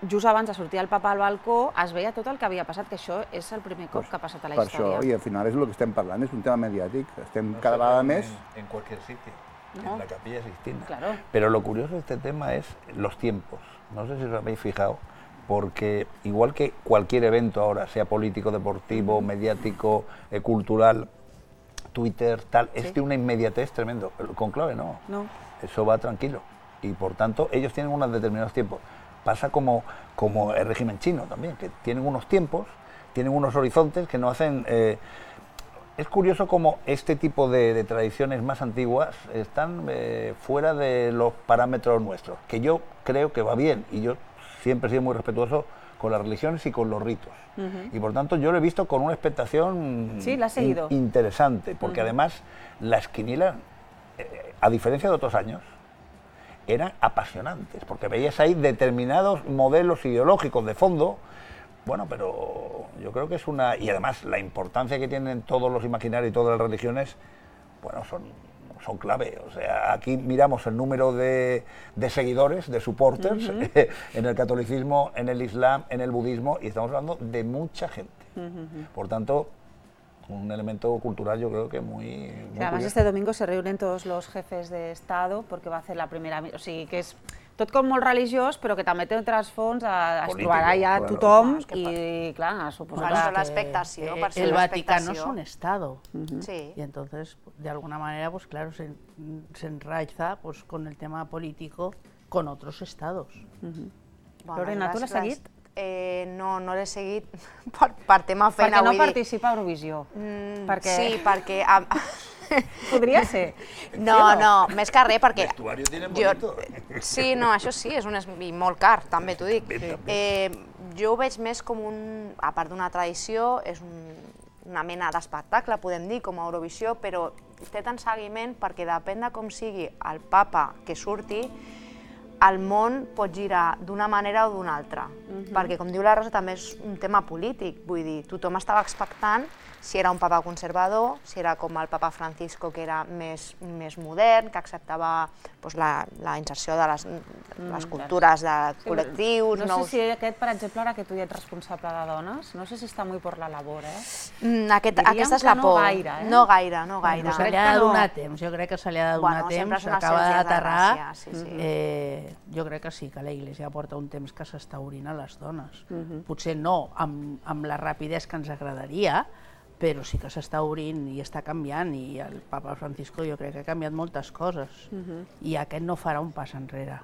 just abans de sortir el papa al balcó, es veia tot el que havia passat, que això és el primer cop que ha passat a la història. Per això, i al final és el que estem parlant, és un tema mediàtic, estem cada vegada més... En cualquier sitio, en la Capilla Sixtina. Claro. Pero lo curioso de este tema es los tiempos. No sé si os habéis fijado, porque igual que cualquier evento ahora, sea político, deportivo, mediático, cultural, Twitter, tal, es de una inmediatez tremendo. El conclave no. Eso va tranquilo. Y por tanto, ellos tienen unos determinados tiempos. Pasa como el régimen chino también, que tienen unos tiempos, tienen unos horizontes que no hacen... Es curioso cómo este tipo de tradiciones más antiguas están fuera de los parámetros nuestros, que yo creo que va bien, y yo siempre he sido muy respetuoso con las religiones y con los ritos. Y por tanto yo lo he visto con una expectación interesante, porque además las quinielas, a diferencia de otros años, eran apasionantes, porque veías ahí determinados modelos ideológicos de fondo. Bueno, pero yo creo que es una... Y además la importancia que tienen todos los imaginarios y todas las religiones, bueno, son clave. O sea, aquí miramos el número de seguidores, de supporters, en el catolicismo, en el islam, en el budismo, y estamos hablando de mucha gente. Por tanto, un elemento cultural yo creo que muy además curioso. Este domingo se reúnen todos los jefes de Estado porque va a hacer la primera... O sigui, que és tot com molt religiós, però que també té un trasfons, es trobarà ja tothom i, clar, suposo que... l'expectació. El Vaticano es un Estado y entonces, de alguna manera, pues claro, se enraiza pues, con el tema político con otros Estados. Lorena, tu l'has seguit? No, no l'he seguit per tema feina. Perquè no participa a Eurovisió. Sí, perquè... Podria ser. No, més que res, perquè... Vestuario tiene bonito. Sí, no, això sí, és molt car, també t'ho dic. Jo ho veig més com un... A part d'una tradició, és una mena d'espectacle, podem dir, com a Eurovisió, però té tant seguiment perquè depèn de com sigui el papa que surti, el món pot girar d'una manera o d'una altra. Perquè, com diu la Rosa, també és un tema polític. Vull dir, tothom estava expectant si era un papa conservador, si era com el papa Francisco, que era més modern, que acceptava la inserció de les cultures de col·lectius. No sé si aquest, per exemple, ara que tu ja ets responsable de dones, no sé si està molt per la labor, Aquesta és la por. No gaire. Se li ha de donar temps, jo crec que se li ha de donar temps, s'acaba d'aterrar. Jo crec que sí, que la Iglesia porta un temps que s'està obrint a les dones. Potser no amb la rapidesa que ens agradaria, però sí que s'està obrint i està canviant, i el papa Francisco jo crec que ha canviat moltes coses, i aquest no farà un pas enrere.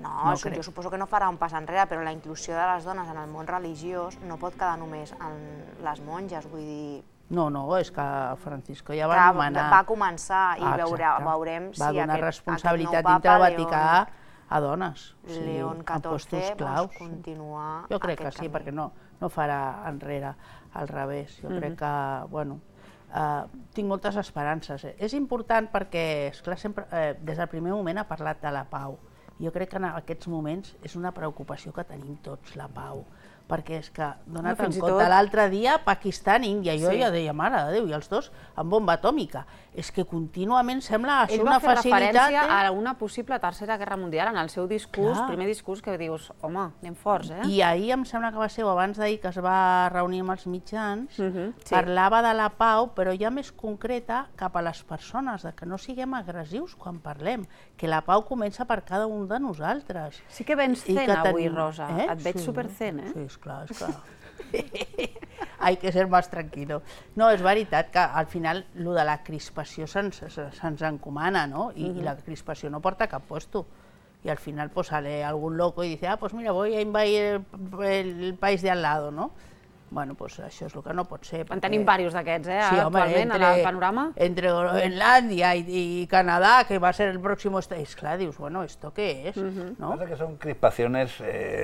No, jo suposo que no farà un pas enrere, però la inclusió de les dones en el món religiós no pot quedar només en les monges, vull dir... No, és que Francisco ja va anomenar... Va començar i veurem si va donar responsabilitat dintre del Vaticà a dones. León XIV continua... Jo crec que sí, perquè no farà enrere, al revés. Jo crec que, bueno, tinc moltes esperances. És important perquè, esclar, sempre, des del primer moment ha parlat de la pau. Jo crec que en aquests moments és una preocupació que tenim tots, la pau. Perquè és que, donat en compte, l'altre dia, Pakistan i Índia, jo ja deia, mare de Déu, i els dos amb bomba atòmica. És que contínuament sembla ser una facilitat... Ell va fer referència a una possible tercera guerra mundial en el seu discurs, primer discurs, que dius, home, anem forts, I ahir em sembla que va ser, o abans d'ahir, que es va reunir amb els mitjans, parlava de la pau, però ja més concreta cap a les persones, que no siguem agressius quan parlem, que la pau comença per cada un de nosaltres. Sí que vens zen avui, Rosa. Et veig super zen, Sí, esclar. Hay que ser más tranquilo. No, és veritat que al final lo de la crispació se'ns encomana, no? I la crispació no porta a cap puesto. Y al final pues sale algún loco y dice, pues mira, voy a invadir el país de al lado, ¿no? Bueno, pues això és el que no pot ser. En tenim diversos d'aquests, actualment, al panorama. Entre Groenlandia y Canadá, que va a ser el próximo... Claro, dius, bueno, ¿esto qué es? ¿No? Pasa que son crispaciones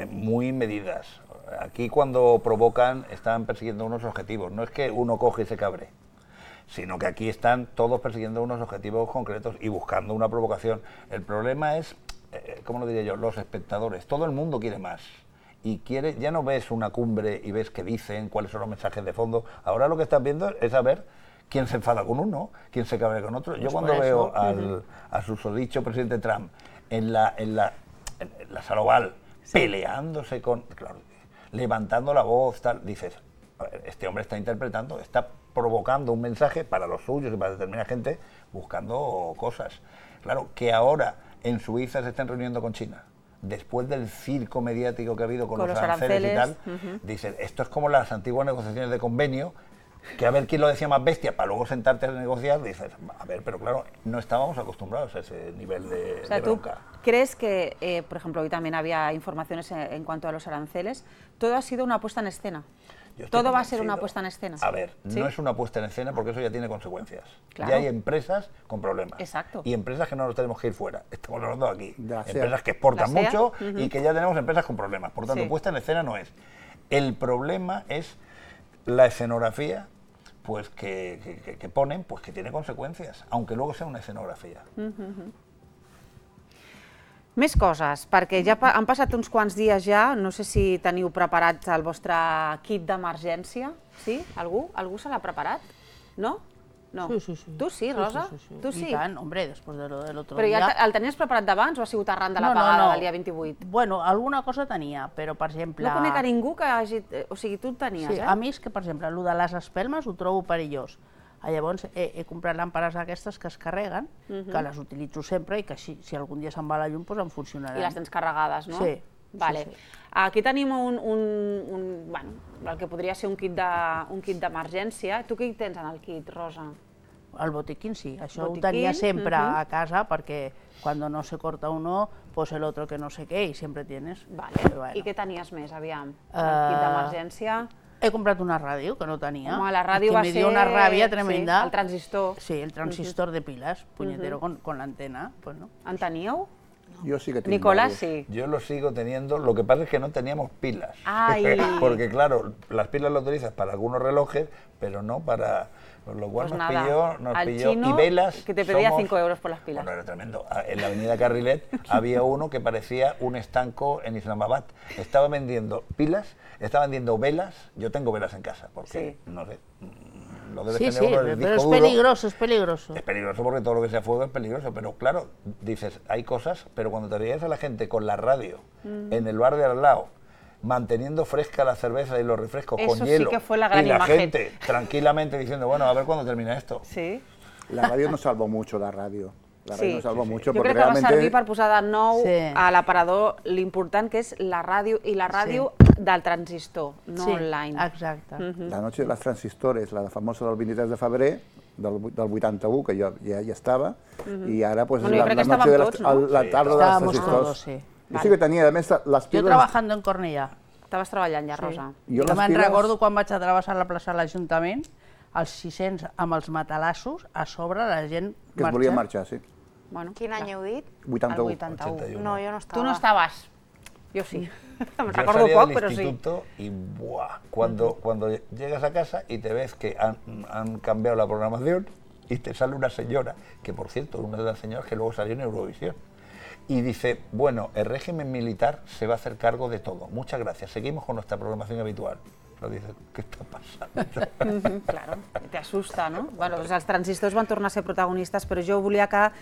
muy medidas. Aquí cuando provocan están persiguiendo unos objetivos, no es que uno coge y se cabre, sino que aquí están todos persiguiendo unos objetivos concretos y buscando una provocación. El problema es, ¿cómo lo diría yo?, los espectadores. Todo el mundo quiere más y quiere, ya no ves una cumbre y ves qué dicen, cuáles son los mensajes de fondo. Ahora lo que estás viendo es saber quién se enfada con uno, quién se cabrea con otro. Yo cuando veo al susodicho presidente Trump en la sala oval peleándose con... Claro, levantando la voz, tal, dices, a ver, este hombre está interpretando, está provocando un mensaje para los suyos y para determinada gente, buscando cosas. Claro, que ahora en Suiza se estén reuniendo con China, después del circo mediático que ha habido con los aranceles y tal, dicen, esto es como las antiguas negociaciones de convenio, que a ver quién lo decía más bestia, para luego sentarte a negociar, dices, a ver, pero claro, no estábamos acostumbrados a ese nivel de bronca. ¿Crees que, por ejemplo, hoy también había informaciones en cuanto a los aranceles, todo ha sido una puesta en escena? ¿Todo va a ser una puesta en escena? A ver, no es una puesta en escena porque eso ya tiene consecuencias. Claro. Ya hay empresas con problemas. Exacto. Y empresas que no nos tenemos que ir fuera. Estamos hablando aquí. Empresas que exportan mucho y que ya tenemos empresas con problemas. Por tanto, puesta en escena no es. El problema es la escenografía pues que ponen, pues que tiene consecuencias, aunque luego sea una escenografía. Més coses, perquè ja han passat uns quants dies ja, no sé si teniu preparat el vostre kit d'emergència, sí? Algú? Algú se l'ha preparat? No? No. Sí. Tu sí, Rosa? Tu sí? I tant, hombre, després de l'altre dia. Però ja el tenies preparat d'abans o ha sigut arran de l'apagada del dia 28? Bueno, alguna cosa tenia, però, per exemple... No conec a ningú que hagi... O sigui, tu el tenies, eh? Sí, a mi és que, per exemple, el de les espelmes ho trobo perillós. Llavors he comprat làmperes aquestes que es carreguen, que les utilitzo sempre i que si algun dia se'n va la llum em funcionaran. I les tens carregades, no? Sí. Vale. Aquí tenim el que podria ser un kit d'emergència. Tu què hi tens en el kit, Rosa? El botiquín sí, això ho tenia sempre a casa perquè quan no se corta uno, pues el otro que no sé què i sempre tienes. Vale. I què tenies més, aviam? El kit d'emergència... He comprat una ràdio que no tenia. Home, la ràdio va ser... Que me dio una ràbia tremenda. El transistor. Sí, el transistor de pilas, puñetero, con la antena. ¿En teníeu? Yo sí que tengo. Nicolás sí. Yo lo sigo teniendo, lo que pasa es que no teníamos pilas. Ay. Porque claro, las pilas las utilizas para algunos relojes, pero no para... Por lo cual pues nos pilló y velas. Que te pedía 5 euros por las pilas. Bueno, era tremendo. En la avenida Carrilet había uno que parecía un estanco en Islamabad. Estaba vendiendo pilas, estaba vendiendo velas. Yo tengo velas en casa, porque no sé. Lo debe tener uno del disco pero es duro. peligroso, es peligroso. Es peligroso porque todo lo que sea fuego es peligroso, pero claro, dices, hay cosas, pero cuando te veías a la gente con la radio en el bar de al lado, manteniendo fresca la cerveza y los refrescos con hielo, sí que fue la gran y la imagen. gente tranquilamente diciendo, bueno, a ver cuándo termina esto. Sí. La radio nos salvó mucho, la radio. La radio nos salvó mucho jo porque crec que realmente... va servir per posar de nou a l'aparador l'important que és la ràdio i la ràdio del transistor, no online. Exacte. La noche de les transistores, la famosa del 23 de febrer, del 81, que jo ja estava, i ara pues, bueno, la noche de la tarda dels transistors. Jo sí que tenia, a més, les piles... Jo trabajando en Cornellà. Estaves treballant ja, Rosa. Jo me'n recordo quan vaig a travessar la plaça de l'Ajuntament, els 600 amb els matalassos, a sobre la gent marxant. Que es volia marxar, sí. Bueno, quin any heu dit? 81. El 81. No, jo no estava. Tu no estaves. Jo sí. Yo salía del instituto y ¡buah! Cuando llegas a casa y te ves que han cambiado la programación y te sale una señora, que por cierto, una de las señoras que luego salió en Eurovisión, y dice, bueno, el régimen militar se va a hacer cargo de todo. Muchas gracias, seguimos con nuestra programación habitual. Però dices, què està passant? Claro, te asusta, no? Bueno, doncs els transistors van tornar a ser protagonistes, però jo volia que,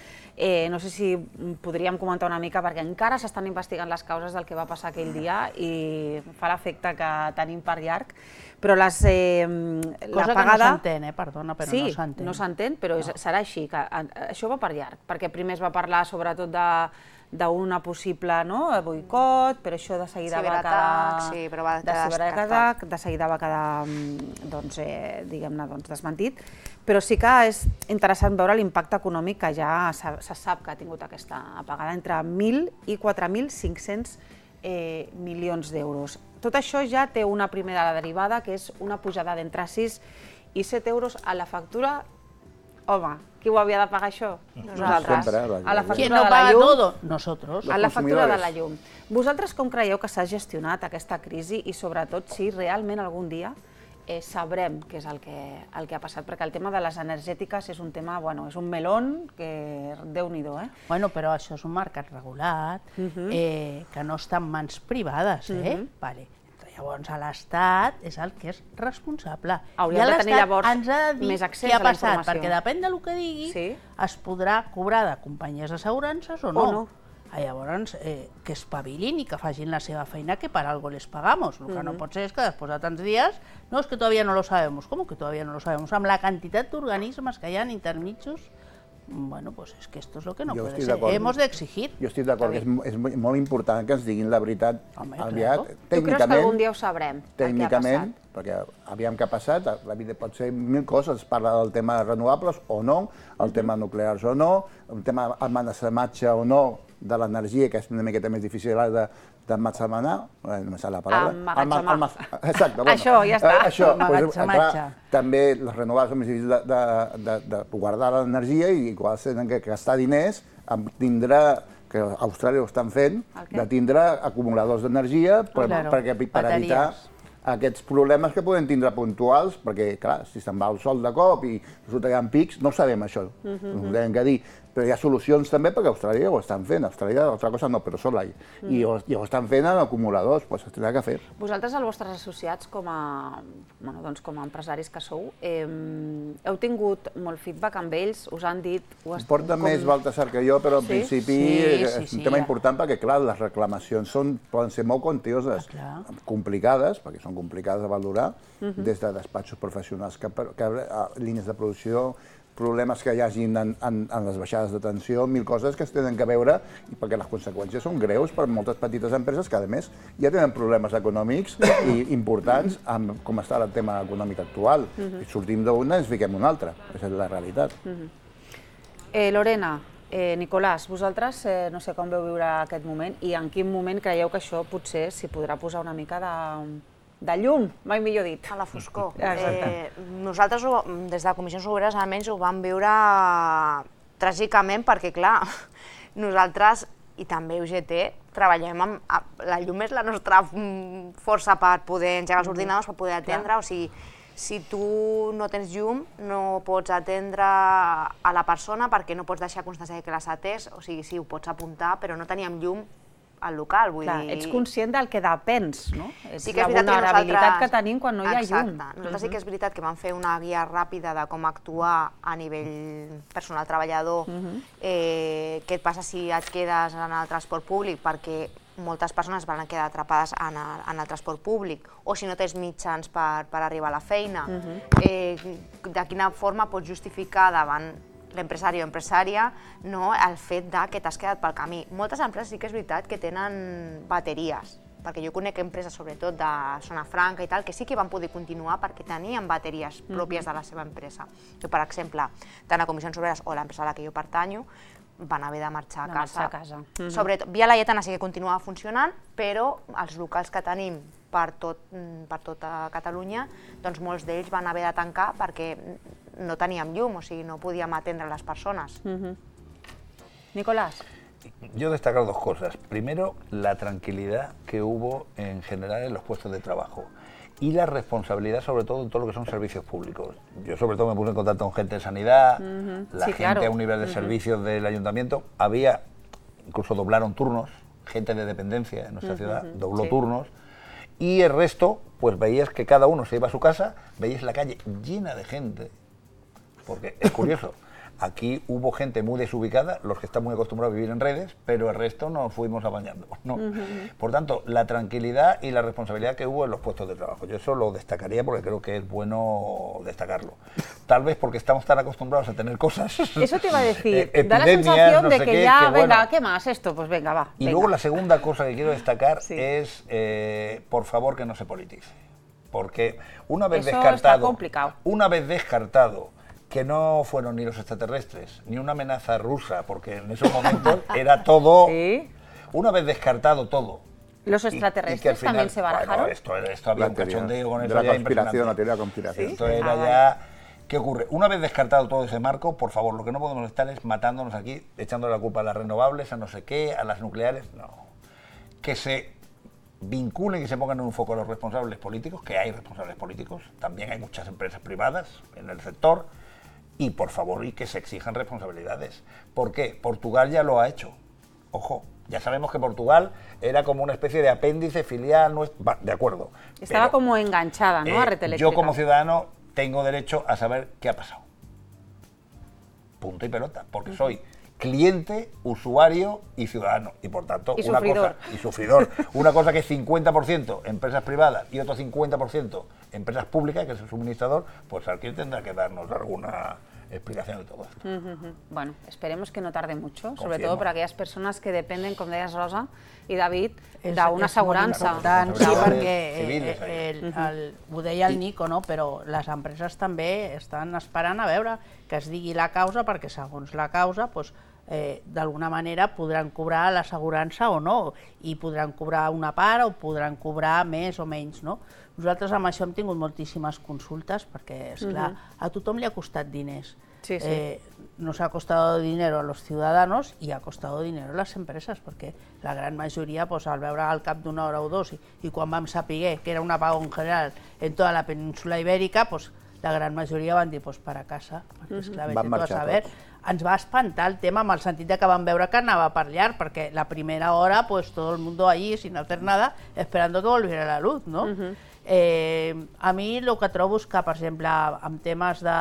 no sé si podríem comentar una mica, perquè encara s'estan investigant les causes del que va passar aquell dia i fa l'efecte que tenim per llarg, però cosa que no s'entén, perdona, però no s'entén. Sí, no s'entén, però serà així, que això va per llarg, perquè primer es va parlar sobretot d'una possible boicot, però això de seguida va quedar... De seguida va quedar, diguem-ne, desmentit. Però sí que és interessant veure l'impacte econòmic que ja se sap que ha tingut aquesta apagada, entre 1.000 i 4.500 milions d'euros. Tot això ja té una primera derivada, que és una pujada d'entre 6 i 7 euros a la factura. Home, qui ho havia de pagar això? Nosaltres. A la factura de la llum. Nosotros. A la factura de la llum. Vosaltres com creieu que s'ha gestionat aquesta crisi i sobretot si realment algun dia sabrem què és el que ha passat? Perquè el tema de les energètiques és un tema, bueno, és un melón que Déu-n'hi-do, eh? Bueno, però això és un mercat regulat, que no està en mans privades, Vale. Llavors, l'Estat és el que és responsable. Hauríem de tenir llavors ens ha de dir més accés què ha a la passat, informació. perquè depèn del que digui, es podrà cobrar de companyies d'assegurances o no. Llavors, que espavilin i que facin la seva feina, que per algo les pagamos. El que no pot ser és que després de tants dies, no, és que todavía no lo sabemos. ¿Cómo que todavía no lo sabemos? Amb la quantitat d'organismes que hi ha intermitjos, bueno, pues es que esto es lo que no puede ser. Hemos de exigir. Jo estic d'acord, és molt important que ens diguin la veritat aviat. Tu creus que algun dia ho sabrem? Tècnicament, perquè aviam què ha passat, la vida pot ser mil coses, es parla del tema renovables o no, el tema nuclears o no, el tema emmagatzematge o no de l'energia, que és una miqueta més difícil d'emmagatzemenar, no me sap la paraula. Exacte. Això, ja està. Això, també les renovables són més difícils de guardar l'energia i igual tenen que gastar diners en tindre, que a Austràlia ho estan fent, de tindre acumuladors d'energia per evitar aquests problemes que poden tindre puntuals, perquè, clar, si se'n va el sol de cop i resulta que hi ha pics, no ho sabem, això. Ho hem de dir. Però hi ha solucions també perquè Austràlia ho estan fent. Austràlia, altra cosa no, però Solar. I ho estan fent en acumuladors, doncs es tindrà que fer. Vosaltres, els vostres associats, com a empresaris que sou, heu tingut molt feedback amb ells? Us han dit... Porta més Baltasar que jo, però en principi és un tema important perquè, clar, les reclamacions poden ser molt quantioses, complicades, perquè són complicades de valorar, des de despatxos professionals a línies de producció, problemes que hi hagin en les baixades de tensió, mil coses que es tenen que veure, perquè les conseqüències són greus per moltes petites empreses que, a més, ja tenen problemes econòmics importants amb com està el tema econòmic actual. Sortim d'una i ens fiquem una altra, aquesta és la realitat. Lorena, Nicolàs, vosaltres no sé com veu viure aquest moment i en quin moment creieu que això potser s'hi podrà posar una mica de llum, mai millor dit. A la foscor. Nosaltres, des de Comissions Obreres, almenys ho vam viure tràgicament perquè, clar, nosaltres, i també UGT, treballem amb... La llum és la nostra força per poder engegar els ordinadors, per poder atendre, o sigui, si tu no tens llum, no pots atendre a la persona perquè no pots deixar constància que l'has atès, o sigui, sí, ho pots apuntar, però no teníem llum al local, vull dir... Ets conscient del que depens, no? És la vulnerabilitat que tenim quan no hi ha llum. Exacte. Nosaltres sí que és veritat que vam fer una guia ràpida de com actuar a nivell personal treballador, què et passa si et quedes en el transport públic, perquè moltes persones van quedar atrapades en el transport públic, o si no tens mitjans per arribar a la feina, de quina forma pots justificar davant l'empresari o empresària el fet que t'has quedat pel camí. Moltes empreses sí que és veritat que tenen bateries, perquè jo conec empreses, sobretot de Zona Franca i tal, que sí que van poder continuar perquè tenien bateries pròpies de la seva empresa. Per exemple, tant a Comissions Obreres o l'empresa a la que jo pertanyo, van haver de marxar a casa. Sobretot, Via Laietana sí que continuava funcionant, però els locals que tenim per tota Catalunya, doncs molts d'ells van haver de tancar perquè no teníem llum, o sigui, no podíem atendre les persones. Nicolás. Yo destacar dos cosas. Primero, la tranquilidad que hubo en general en los puestos de trabajo y la responsabilidad sobre todo en todo lo que son servicios públicos. Yo sobre todo me puse en contacto con gente de sanidad, la gente a un nivel de servicios del ayuntamiento. Incluso doblaron turnos, gente de dependencia en nuestra ciudad dobló turnos. Y el resto, pues veías que cada uno se iba a su casa, veías la calle llena de gente, porque es curioso, aquí hubo gente muy desubicada, los que están muy acostumbrados a vivir en redes, pero el resto nos fuimos apañando, ¿no? Por tanto, la tranquilidad y la responsabilidad que hubo en los puestos de trabajo, yo eso lo destacaría porque creo que es bueno destacarlo. Tal vez porque estamos tan acostumbrados a tener cosas. Eso te iba a decir, da la sensación de que ya, venga, ¿qué más esto? Pues venga, va. Y luego la segunda cosa que quiero destacar es, por favor, que no se politice. Porque una vez descartado que no fueron ni los extraterrestres, ni una amenaza rusa, porque en esos momentos era todo, una vez descartado todo. ¿Los extraterrestres final, también se barajaron? Bueno, esto había un cachondeo con eso ya impresionante. La teoría de conspiración. Esto era ya... ¿Qué ocurre? Una vez descartado todo ese marco, por favor, lo que no podemos estar es matándonos aquí, echándole la culpa a las renovables, a no sé qué, a las nucleares, no. Que se vinculen y se pongan en un foco a los responsables políticos, que hay responsables políticos, también hay muchas empresas privadas en el sector, y por favor, y que se exijan responsabilidades. ¿Por qué? Portugal ya lo ha hecho. Ojo, ya sabemos que Portugal era como una especie de apéndice filial, de acuerdo. Estaba pero, como enganchada, ¿no? A Red Eléctrica. Yo como ciudadano tengo derecho a saber qué ha pasado. Punto y pelota, porque soy cliente, usuario y ciudadano, y por tanto y sufridor. Una cosa que es 50% empresas privadas y otro 50% empresas públicas, que es el suministrador, pues aquí tendrá que darnos alguna explicación de todo esto. Bueno, esperemos que no tarde mucho, sobre todo para aquelles persones que dependen, com deies Rosa i David, d'una assegurança. Sí, perquè ho deia el Nico, no? Però les empreses també estan esperant a veure que es digui la causa, perquè segons la causa, d'alguna manera podran cobrar l'assegurança o no, i podran cobrar una part o podran cobrar més o menys, no? Nosaltres amb això hem tingut moltíssimes consultes perquè, esclar, a tothom li ha costat diners. Nos ha costado dinero a los ciudadanos y ha costado dinero a las empresas, porque la gran mayoría, al veure al cap d'una hora o dos, i quan vam saber que era un apagón general en toda la península ibèrica, la gran majoria van dir, para casa, perquè esclar, vete tu a saber ens va espantar el tema en el sentit que vam veure que anava per llarg, perquè la primera hora, pues todo el mundo allí sin hacer nada, esperando que volviera la luz, no? A mi el que trobo és que, per exemple, en temes de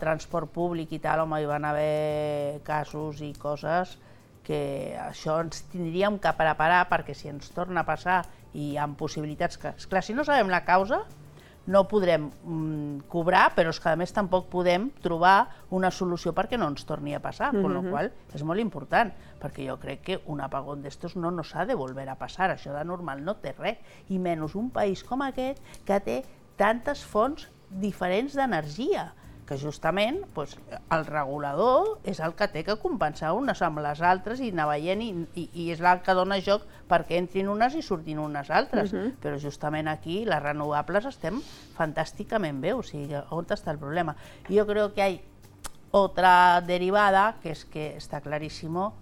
transport públic i tal, home, hi van haver casos i coses que això ens tindríem que preparar, perquè si ens torna a passar i hi ha possibilitats que, esclar, si no sabem la causa, no podrem cobrar, però és que a més tampoc podem trobar una solució perquè no ens torni a passar, con lo qual és molt important, perquè jo crec que un apagón d'estos no nos ha de volver a passar, això de normal no té res, i menys un país com aquest que té tantes fonts diferents d'energia, que justament el regulador és el que té que compensar unes amb les altres i anar veient i és el que dona joc perquè entrin unes i surtin unes altres, però justament aquí les renovables estem fantàsticament bé, o sigui, on està el problema? Jo crec que hay otra derivada, que es que está clarísimo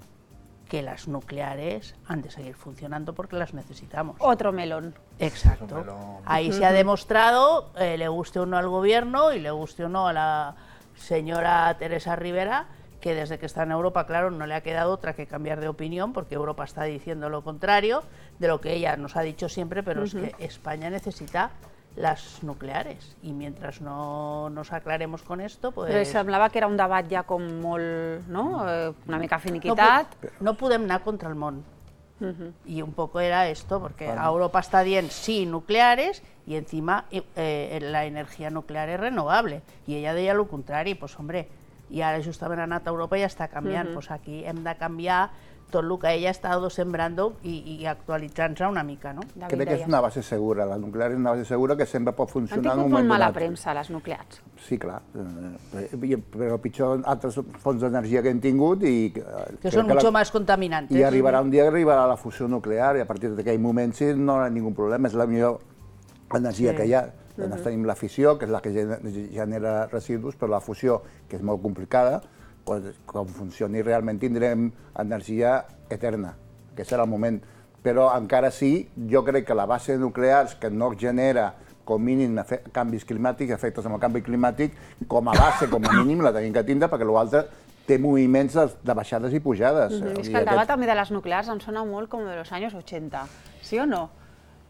que las nucleares han de seguir funcionando porque las necesitamos. Otro melón. Exacto. Ahí se ha demostrado, le guste o no al gobierno y le guste o no a la señora Teresa Rivera, que desde que está en Europa, claro, no le ha quedado otra que cambiar de opinión, porque Europa está diciendo lo contrario de lo que ella nos ha dicho siempre, pero es que España necesita las nucleares, i mentre no nos aclaremos con esto, pues... Però semblava que era un debat ja com molt, no? Una mica finiquitat. No podem anar contra el món. Y un poco era esto, porque Europa está diciendo sí nucleares y encima la energía nuclear es renovable. Y ella deia lo contrari, pues hombre, i ara justament ha anat a Europa i ja està canviant. Pues aquí hem de canviar tot el que ella ha estat sembrant i actualitzant-se una mica, no? Crec que és una base segura, la nuclear és una base segura que sempre pot funcionar en un moment donat. Han tingut molt mala donat. premsa, les nuclears. Sí, clar, però pitjor altres fonts d'energia que hem tingut i... Que són mucho más contaminantes. I arribarà un dia que arribarà la fusió nuclear i a partir d'aquell moment sí no hi ha ningú problema, és la millor energia que hi ha. Llavors tenim la fissió, que és la que genera residus, però la fusió, que és molt complicada, quan funcioni realment tindrem energia eterna, que serà el moment. Però encara sí, jo crec que la base de nuclears que no genera com mínim canvis climàtics, efectes amb el canvi climàtic, com a base, com a mínim, la tenim que tindre, perquè l'altre té moviments de baixades i pujades. És que el debat també de les nuclears em sona molt com de los años 80, ¿sí o no,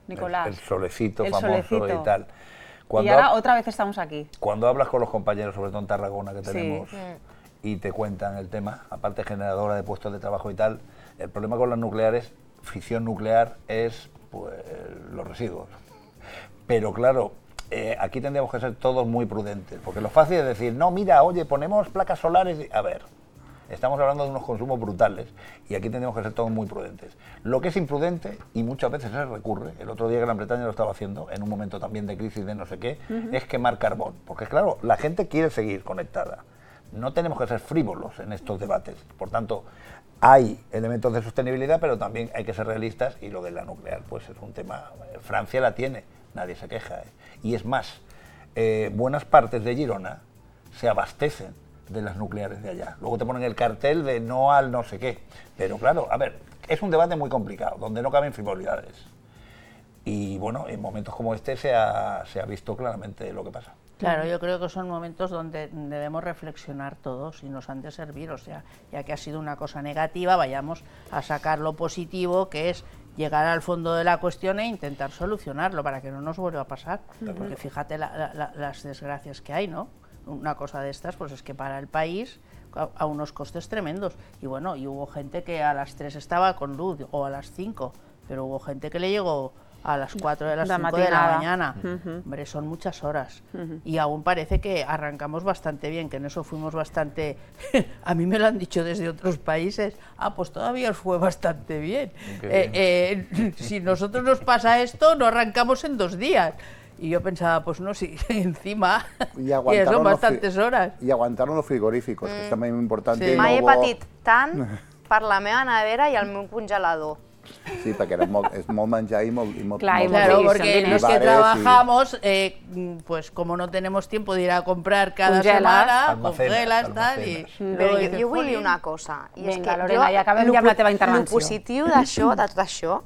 Nicolás? El solecito famoso y tal. Y ahora otra vez estamos aquí. Cuando hablas con los compañeros, sobre todo en Tarragona, que tenemos, y te cuentan el tema, aparte generadora de puestos de trabajo y tal, el problema con las nucleares, fisión nuclear, es pues, los residuos. Pero claro, aquí tendríamos que ser todos muy prudentes, porque lo fácil es decir, no, mira, oye, ponemos placas solares, a ver, estamos hablando de unos consumos brutales, y aquí tendríamos que ser todos muy prudentes. Lo que es imprudente, y muchas veces se recurre, el otro día Gran Bretaña lo estaba haciendo, en un momento también de crisis de no sé qué, es quemar carbón, porque claro, la gente quiere seguir conectada. No tenemos que ser frívolos en estos debates, por tanto, hay elementos de sostenibilidad, pero también hay que ser realistas, y lo de la nuclear pues es un tema, Francia la tiene, nadie se queja, y es más, buenas partes de Girona se abastecen de las nucleares de allá, luego te ponen el cartel de no al no sé qué, pero claro, a ver, es un debate muy complicado, donde no caben frivolidades, y bueno, en momentos como este se ha visto claramente lo que pasa. Claro, yo creo que son momentos donde debemos reflexionar todos y nos han de servir, o sea, ya que ha sido una cosa negativa, vayamos a sacar lo positivo, que es llegar al fondo de la cuestión e intentar solucionarlo para que no nos vuelva a pasar, porque fíjate las desgracias que hay, ¿no? Una cosa de estas, pues es que para el país a unos costes tremendos, y bueno, y hubo gente que a las 3 estaba con luz, o a las 5, pero hubo gente que le llegó a las 4 de las 5 de la mañana. Hombre, son muchas horas. Y aún parece que arrancamos bastante bien, que en eso fuimos bastante... A mí me lo han dicho desde otros países. Ah, pues todavía os fue bastante bien. Si nosotros nos pasa esto, no arrancamos en 2 días. Y yo pensaba, pues no, si encima son bastantes horas. Y aguantaron los frigoríficos, que es también muy importante. Mai he patit tant per la meva nevera i el meu congelador. Sí, perquè és molt menjar i molt... Claro, porque los que trabajamos, pues como no tenemos tiempo de ir a comprar cada semana, congelas, tal, i... Però jo vull dir una cosa, i és que Lorena, ja acabem ja amb la teva intervenció. El positiu d'això, de tot això,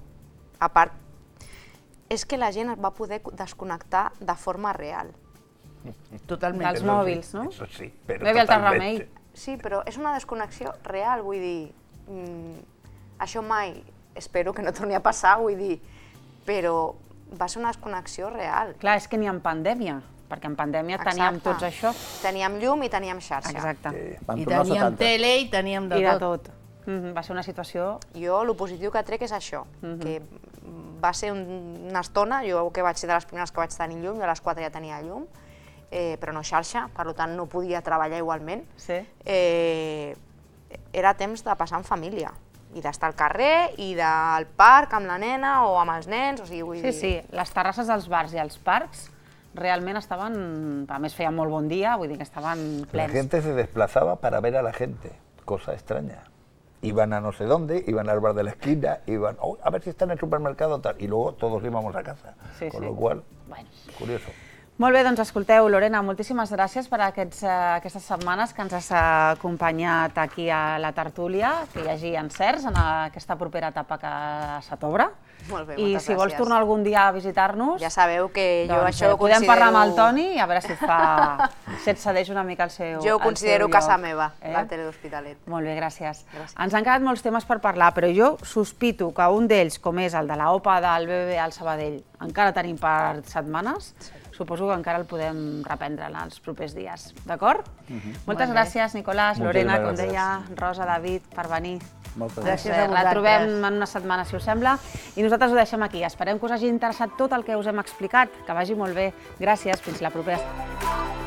a part, és que la gent es va poder desconnectar de forma real. Totalment. Dels mòbils, no? Eso sí, pero Bebe el Terramell. Sí, però és una desconnexió real, vull dir, això mai, espero que no torni a passar, vull dir, però va ser una desconnexió real. Clar, és que ni en pandèmia, perquè en pandèmia teníem tots això. Teníem llum i teníem xarxa. Exacte. I teníem tele i teníem de tot. Va ser una situació... Jo, el positiu que trec és això, que va ser una estona, jo que vaig ser de les primeres que vaig tenir llum, jo a les 4 ja tenia llum, però no xarxa, per tant no podia treballar igualment. Era temps de passar en família, i d'estar al carrer, i del parc amb la nena o amb els nens, o sigui, vull dir... Sí, les terrasses dels bars i els parcs realment estaven, a més feia molt bon dia, vull dir que estaven plens. La gente se desplazaba para ver a la gente, cosa extraña. Iban a no sé dónde, iban al bar de la esquina, iban a ver si está en el supermercado, tal, y luego todos íbamos a casa, con lo cual, curioso. Molt bé, doncs escolteu, Lorena, moltíssimes gràcies per aquestes setmanes que ens has acompanyat aquí a la tertúlia, que hi hagi encerts en aquesta propera etapa que se t'obre. Molt bé, moltes gràcies. I si vols tornar algun dia a visitar-nos... Ja sabeu que jo això ho considero... Podem parlar amb el Toni i a veure si et cedeix una mica el seu lloc. Jo ho considero casa meva, la tele d'Hospitalet. Molt bé, gràcies. Ens han quedat molts temes per parlar, però jo sospito que un d'ells, com és el de l'OPA del BBVA al Sabadell, encara tenim per setmanes. Suposo que encara el podem reprendre en els propers dies, d'acord? Moltes gràcies, Nicolás, Lorena, com deia, Rosa, David, per venir. Moltes gràcies a vosaltres. La trobem en una setmana, si us sembla, i nosaltres ho deixem aquí. Esperem que us hagi interessat tot el que us hem explicat, que vagi molt bé. Gràcies, fins la propera.